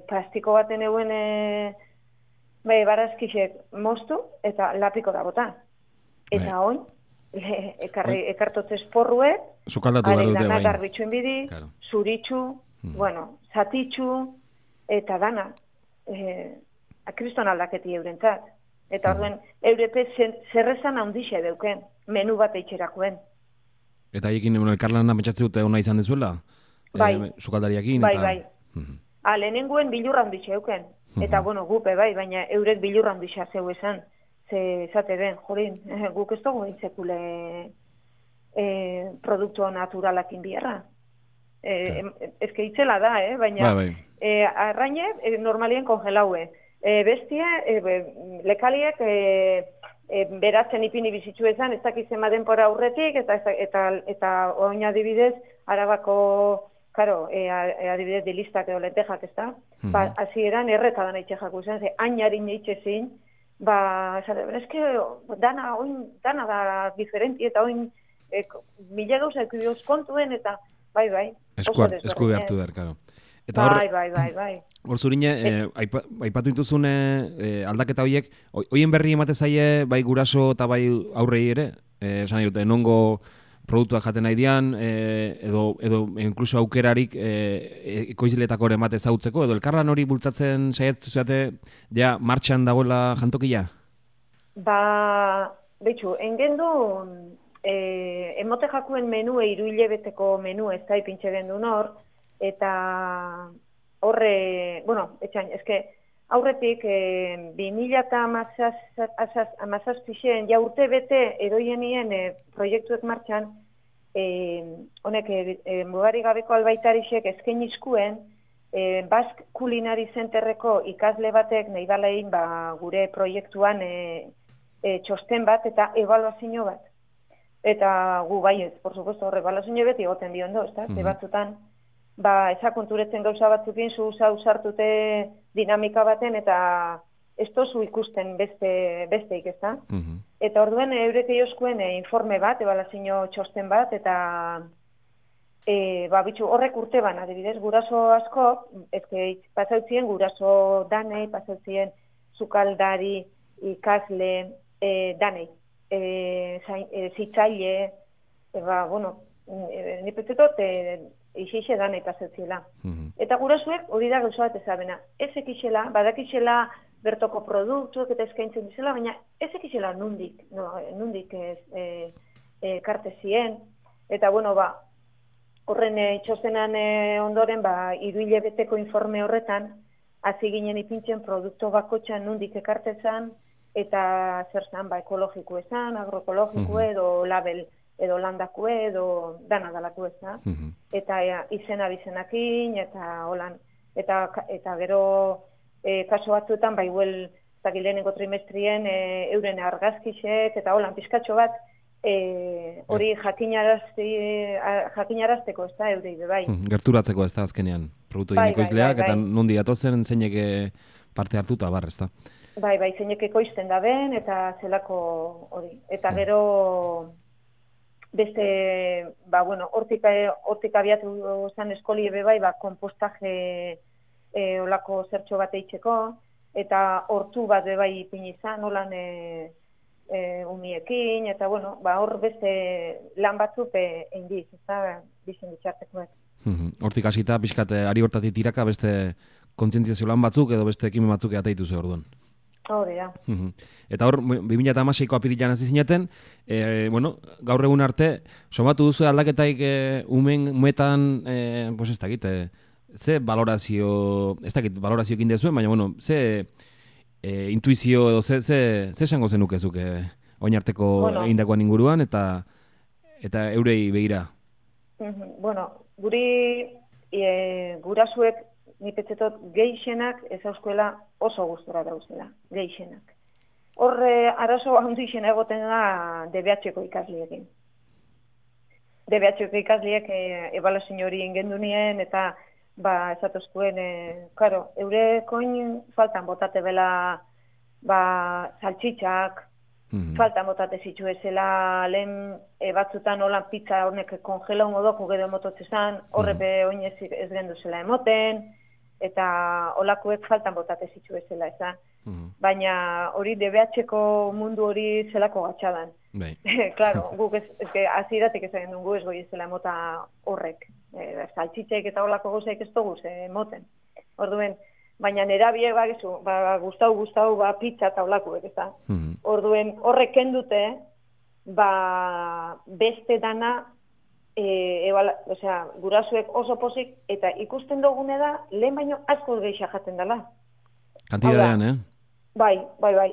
plastiko baten euen barazkixek moztu eta lapiko da bota. Eta oin, ekartotzez porruek, haren dana garbitxuen bidi, zuritxu, zatitxu, eta dana, kriston aldaketi eurentzat. Eta orduen, eurepet zerrezan handixe deuken, menu bat eitxerakoen. Eta ekin elkarlana metxatze dute hona izan dezuela? Bai. Sukaldariakin? Bai. Lehenenguen bilurra handixe euken. Eta, gupe bai, baina eurek bilurra handixa zeu esan. Zate den, jorin, guk ez dugu intzekule produktu naturalakin bierra. Ezke itzela da, baina arraine normalien kongelaue. Bestia, lekaliek beratzen ipini bizitzu ezan, ez dakizema denpora aurretik, eta oin adibidez, Arabako, adibidez, dilistak edo lentejak, ez da? Hasieran erretadan eitxejak uzen, hainarin eitxezin, eske dana da diferenti, eta oin mila gauza ekudioz kontuen, eta bai. Esku hartu behar, karo. Bai. Hor zurine, aipatu dituzun aldaketa horiek, hoien berri emate zaie, bai guraso eta bai aurrei ere, esan dute, nongo produktuak jaten nahi dian, edo inkluso aukerarik ekoizletako ere emate zautzeko, edo elkarlan hori bultzatzen saiatu zeate, ja, martxan dagoela jantokia? Betxu, engendu, emote jakuen menue, 3 hilabeteko menu ez da ipintxe gendu nor, eta horre, aurretik 2017 ja urte bete edoienien proiektuek martxan, honek mugari gabeko albaitarixek eskainizkuen Basque Culinary Centerreko ikasle batek nahi balein gure proiektuan txosten bat eta ebaluazio bat. Eta gu baiez, por supuesto, horre ebaluazio beti egoten diondo, ez da? Batzutan, ezakonturetzen gauza batzukin usartute dinamika baten eta ez tozu ikusten besteik, ez da? Eta orduen eurek eioskuen informe bat, ebaluazio txosten bat, eta horrek urte ban, adibidez, guraso asko, pasautzien guraso danei, pasautzien sukaldari, ikasle, danei, zitzaile, nipetzetot, ixixe danei pasauziela. Eta gurasuek hori da gauza bat ezabena. Ez ekixela, badakixela bertoko produktuak eta eskaintzen dizela, baina ez ekixela nundik kartezien. Eta horren itxostenan ondoren, 3 hilabeteko informe horretan, hasi ginen ipintzen produktu bakotxan nundik ekartezan, eta zer zan, ekologiko esan, agroekologiko edo label, edo landako edo dana dalako ez da. Eta izena bizenakin, eta holan. Eta gero kaso batzuetan, lehenengo trimestrien euren argazkixek, eta holan pizkatxo bat, hori jakinarazteko ez da, eurei bai. Gerturatzeko ez da azkenean, produktu ekoizleak, eta nondi atozen zeinek parte hartuta bar, ez da? Bai, zeinek ekoizten da ben, eta zelako hori. Eta gero beste, hortik abiatu zen eskoli ebe bai, kompostaje olako zertxo bat eitzeko, eta hortu bat bai ipini izan, holan umiekin, eta hor beste lan batzuk eindiz, ez da, bizin bitxartekoek. Hortik hasita, pixkat, ari hortatik tiraka beste kontzientziazio lan batzuk edo beste ekimen batzuk ateitu ze orduan. Hori da. Eta hor, 2016ko apirilan hasi zineten, gaur egun arte, somatu duzu aldaketaik umetan, ez dakit, ze valorazio, ez dakit valorazioekin dezuen, baina, ze intuizio edo ze esango zenukezuk oin arteko egindakoan inguruan eta eurei begira? Gurasuek nipetzetot geixenak ez auskuela oso gustora dauzela, geixenak. Horre arazo handixena egoten da DBH-ko ikasliekin. DBH-ko ikasliek ebaluazio hori ingendu nien, eta esatozkuen, claro, eurekoin faltan botate bela, saltxitxak, faltan botate zitu ezela, lehen batzutan holan pizza hornek kongelau modoku gero mototzezan, horrepe oinez ez gendu zela emoten, eta holakuek faltan botate zitu ezela, ezan. Baina hori DBH-ko mundu hori zelako gatxadan. Claro, guk aziratik ezagen dugu ez goi ez dela emota horrek. Saltxitxek eta horlako gauzaik ez dugu emoten. Orduen, baina nerabiek gustau, pizza eta horlakuek, ez da. Orduen, horrek kendute, beste dana, gurasuek oso pozik, eta ikusten dugune da, lehen baino asko geixa jaten dela. Kantidadean, Bai.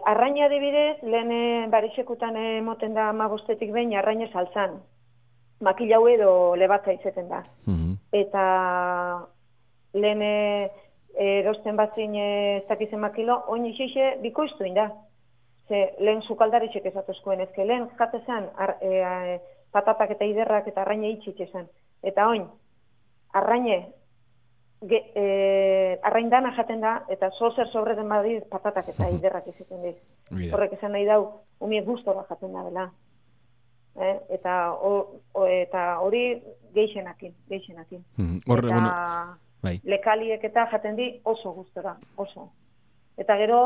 Arraina adibidez, lehen barixekutan moten da 15 behin, arraina saltzan. Makilau edo lebatza izeten da. Eta lehen erosten batzin ez dakizen makilo, oin ixixe bikoiztuin da. Lehen sukaldaritxek ezatuzkoen ezke, lehen jatezan patatak eta iderrak eta arraina itxitxezan. Eta oin, arrain dana jaten da, eta zozer sobreten badid patatak eta iderrak izaten diz. Horrek esan nahi dau, umiek gustora jaten da bela. Eta hori geixenakin. Eta lekaliek eta jaten di oso gustora, oso. Eta gero,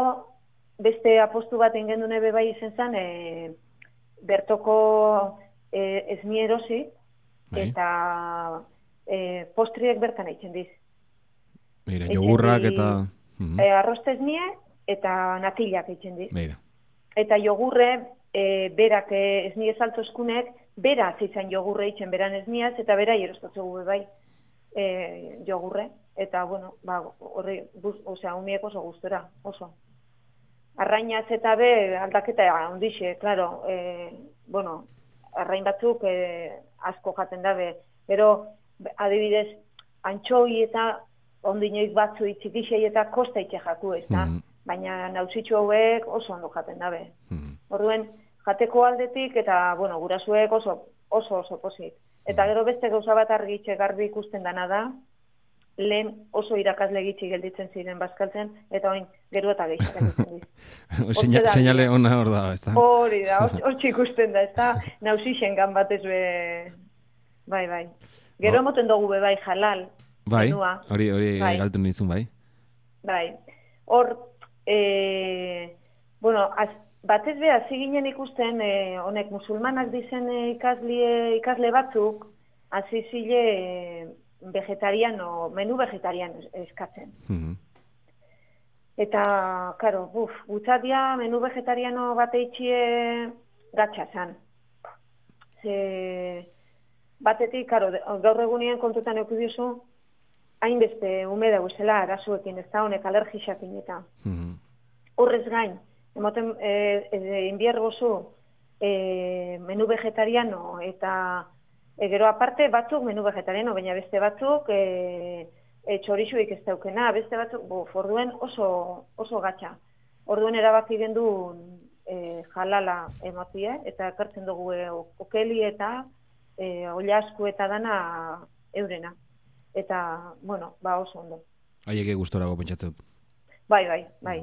beste apostu bat ingendu nebe bai izen zen, bertoko esmierosi, eta postriek bertan eitzen diz. Jogurrak eta... Arrostez nie eta natillak eitzen di. Eta jogurre, berak esnie saltozkunek, bera zitzen jogurre eitzen beran esniaz, eta bera jerostatzegu bai jogurre. Eta, bueno, horri, umiek oso gustora, oso. Arrainaz eta aldaketa ondixe, klaro, arrain batzuk asko jaten dabe. Pero, adibidez, antxoi eta ondinoik batzu txikixei eta kosta itxe jaku, ez da? Baina nauzitxu hauek oso ondo jaten dabe. Orduen, jateko aldetik eta, gurasuek oso pozik. Eta gero beste gauza bat garbi ikusten dana da, lehen oso irakasle gitxi gelditzen ziren bazkaltzen, eta oin gero eta gehiagoan ditzen diz. Seinale ona hor da, ez da? Hori da, hor ikusten da, ez da? Nauzixen gan batez bai. Gero moten dugu bai halal. Bai, hori galtu nizun, bai. Bai, hor, batez beha ziginen ikusten, honek musulmanak dizen ikasle batzuk, azizile menu vegetariano eskatzen. Eta, karo, gutzatia menu vegetariano bat eitxie gatxazan. Batetik, karo, gaur egunien kontutan eukidiozu, hainbeste umeda guzela arazuekin, ez da honek alergixakin eta. Horrez gain, emoten inbiergozu menu vegetariano eta gero aparte batzuk menu vegetariano, baina beste batzuk txorixuik ez daukena, beste batzuk, orduen oso gatxa. Orduen erabaki gendu jalala emotie, eta ekartzen dugu okeli eta oilasku eta dana eurena. Eta, oso ondo. Haiek gustora pentsatzen dut. Bai.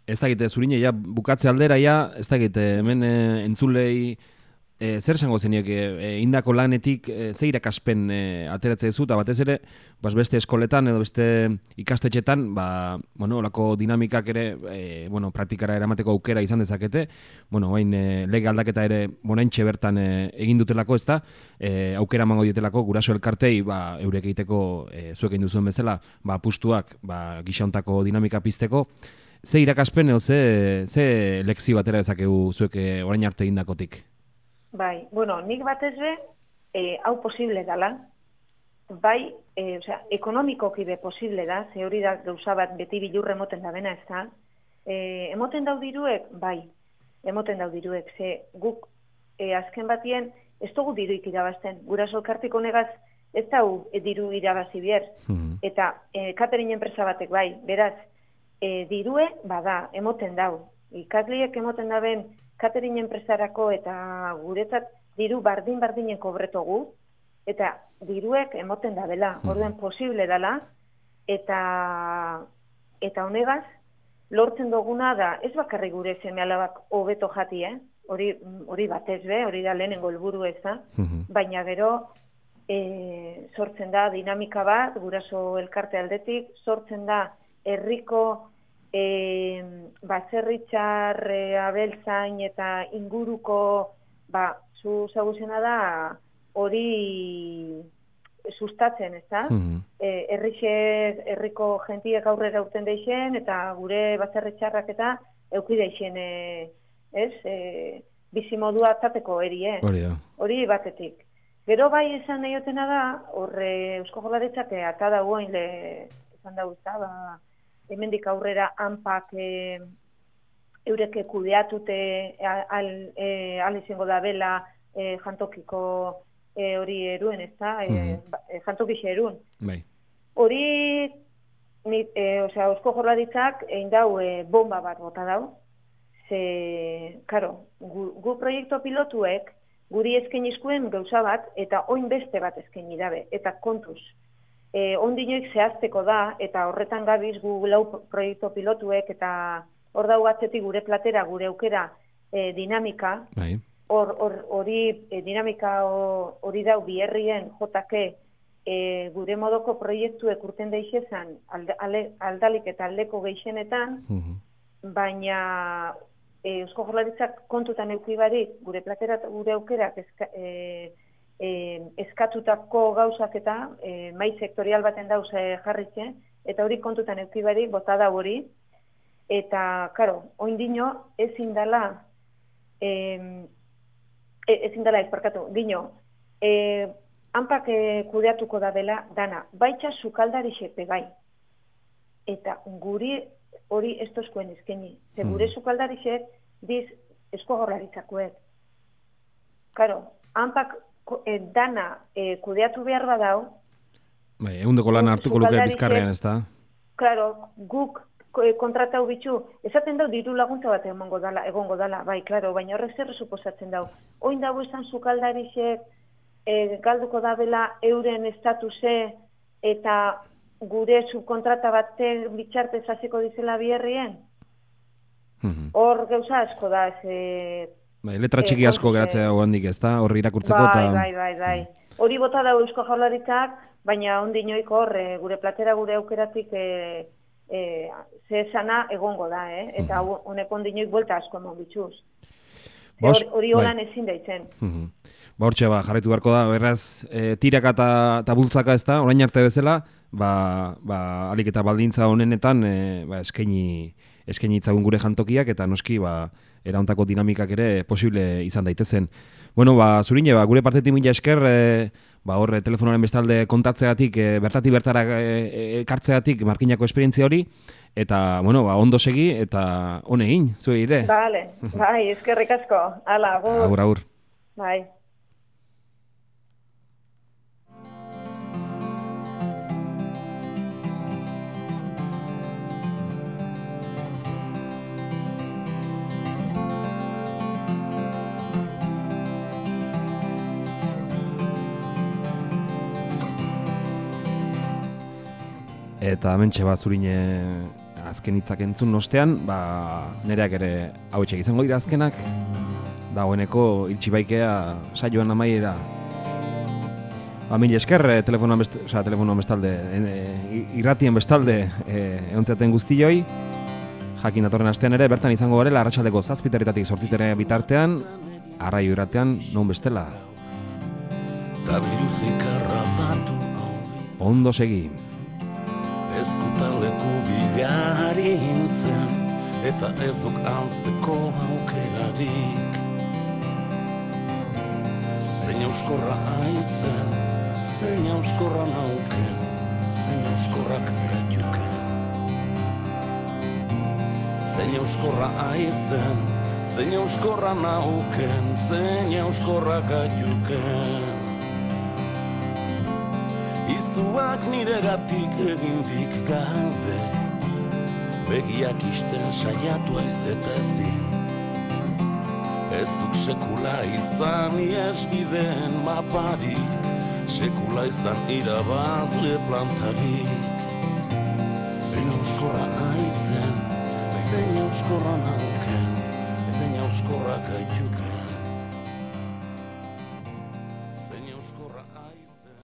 Ez dakite, zurine, bukatze aldera, ez dakite, hemen entzulei zer esango zeniek indako lanetik ze irakaspen ateratze duzu, eta batez ere, beste eskoletan edo beste ikastetxetan, olako dinamikak ere, praktikara eramateko aukera izan dezakete, bain lege aldaketa ere, bonaintxe bertan egin dutelako, ez da, aukera emango dietelako, guraso elkartei, eurek egiteko zuek egin duzuen bezala, apustuak, gixauntako dinamika pizteko, ze irakaspen edo ze lekzio atera dezakegu zuek orain arte egindakotik? Bai, nik batez hau posible dala, bai, ekonomikoki be posible da, ze hori da gauza bat beti bilurre emoten da bena, ez da, emoten daudiruek, bai, emoten daudiruek, ze guk azken batien ez dugu diruik irabazten, guraso elkartiko negaz ez dau diru irabazi bier, eta catering enpresa batek bai, beraz, dirue, bada, emoten dau, ikasliek emoten daben catering enpresarako eta guretzat diru bardin-bardinen kobretogu, eta diruek emoten da dela, orduen posible dela, eta honegaz, lortzen duguna da, ez bakarrik gure seme-alabak hobeto jati, hori batez be, hori da lehenengo helburu ez da, baina gero sortzen da dinamika bat, guraso elkarte aldetik, sortzen da herriko baserritxar, abeltzain eta inguruko, zu zaguzena da, hori sustatzen, ez da? Herriko jentiek aurrera urten deixen, eta gure baserritxarrak eta euki deixen, bizimodua atzateko erie. Hori batetik. Gero bai esan nahiotena da, horre Eusko Jaurlaritzak ata dagoen esan dauzta, hemendik aurrera hanpak eureke kudeatute al izango da bela jantokiko hori eruen, ez da? Jantokixe eruen. Hori, Eusko Jaurlaritzak egin dau bomba bat bota dau. Karo, gu proiektu pilotuek guri eskainizkuen gauza bat eta oin beste bat eskaini dabe. Eta kontuz, ondinoik zehazteko da, eta horretan gabiz gu lau proiektu pilotuek, eta hor dau atzetik gure platera, gure aukera dinamika, hori dinamika hori dau biherrien jotake gure modoko proiektuek urten deixezan aldalik eta aldeko geixenetan, baina Eusko Jaurlaritzak kontutan eukibarik gure platera gure aukerak eskatutako gauzak eta mai sektorial baten dauz jarritxe, eta hori kontutan eukibarik bota da hori, eta, karo, oindino ezin dala dino, hanpak kudeatuko da bela dana, baitxa sukaldarixek bebai, eta guri hori ez tozkoen eskeni. Gure sukaldarixek diz Eusko Jaurlaritzakoek. Karo, hanpak dana kudeatu behar badau. Ehundeko lan hartuko luke bizkarrean, ez da? Karo, guk kontratau bitxu, esaten dau diru laguntza bat egongo dala, bai, klaro, baina horrek zer suposatzen dau. Oin dago izan sukaldarixek galduko da bela euren estatuse eta gure subkontrata baten bitxartez hasiko dizela biherrien? Hor gauza asko da. Letra txiki asko geratzea handik, ez da? Hor irakurtzeko eta... Bai. Hori bota da Eusko Jaurlaritzak, baina ondinoiko hor gure platera gure aukeratik zehesana egongo da, eta honek ondinoik buelta asko emon bitxuz. Hori holan ezin daitzen. Hortxe, jarraitu beharko da, beraz, tiraka eta bultzaka ez da, orain arte bezala, alik eta baldintza honenetan eskaini itzagun gure jantokiak, eta noski erauntako dinamikak ere posible izan daitezen. Bueno, Zurine, gure partetik mila esker, hor telefonaren bestalde kontatzeatik, bertatik bertara ekartzeatik markinako esperientzia hori, eta, ondo segi, eta honegin, zuei ere. Bale, bai, eskerrik asko. Hala, agur. Agur. Bai. Eta hementxe Zurine azken hitzak entzun ostean, nereak ere hauetxek izango dira azkenak, dagoeneko iltxibaikea saioan amaiera. Mila esker, telefonoan bestalde, irratien bestalde eontzaten guztioi, jakin datorren astean ere, bertan izango garela, arratsaldeko 7:00 8:00 bitartean, arraio irratean, non bestela. Ondo segi. Ezkutaleku bilari hintzen, eta ez duk anzteko aukerarik. Zein euskorra aizen, zein euskorra nauken, zein euskorrak gaiuken. Zein euskorra aizen, zein euskorra nauken, zein euskorrak gaiuken. Izuak niregatik egindik galde, begiak isten saiatu aiz eta ezin. Ez duk sekula izan iesbideen maparik, sekula izan irabazle plantarik. Zein euskorra aizen, zein euskorra nauken, zein euskorra gaituken.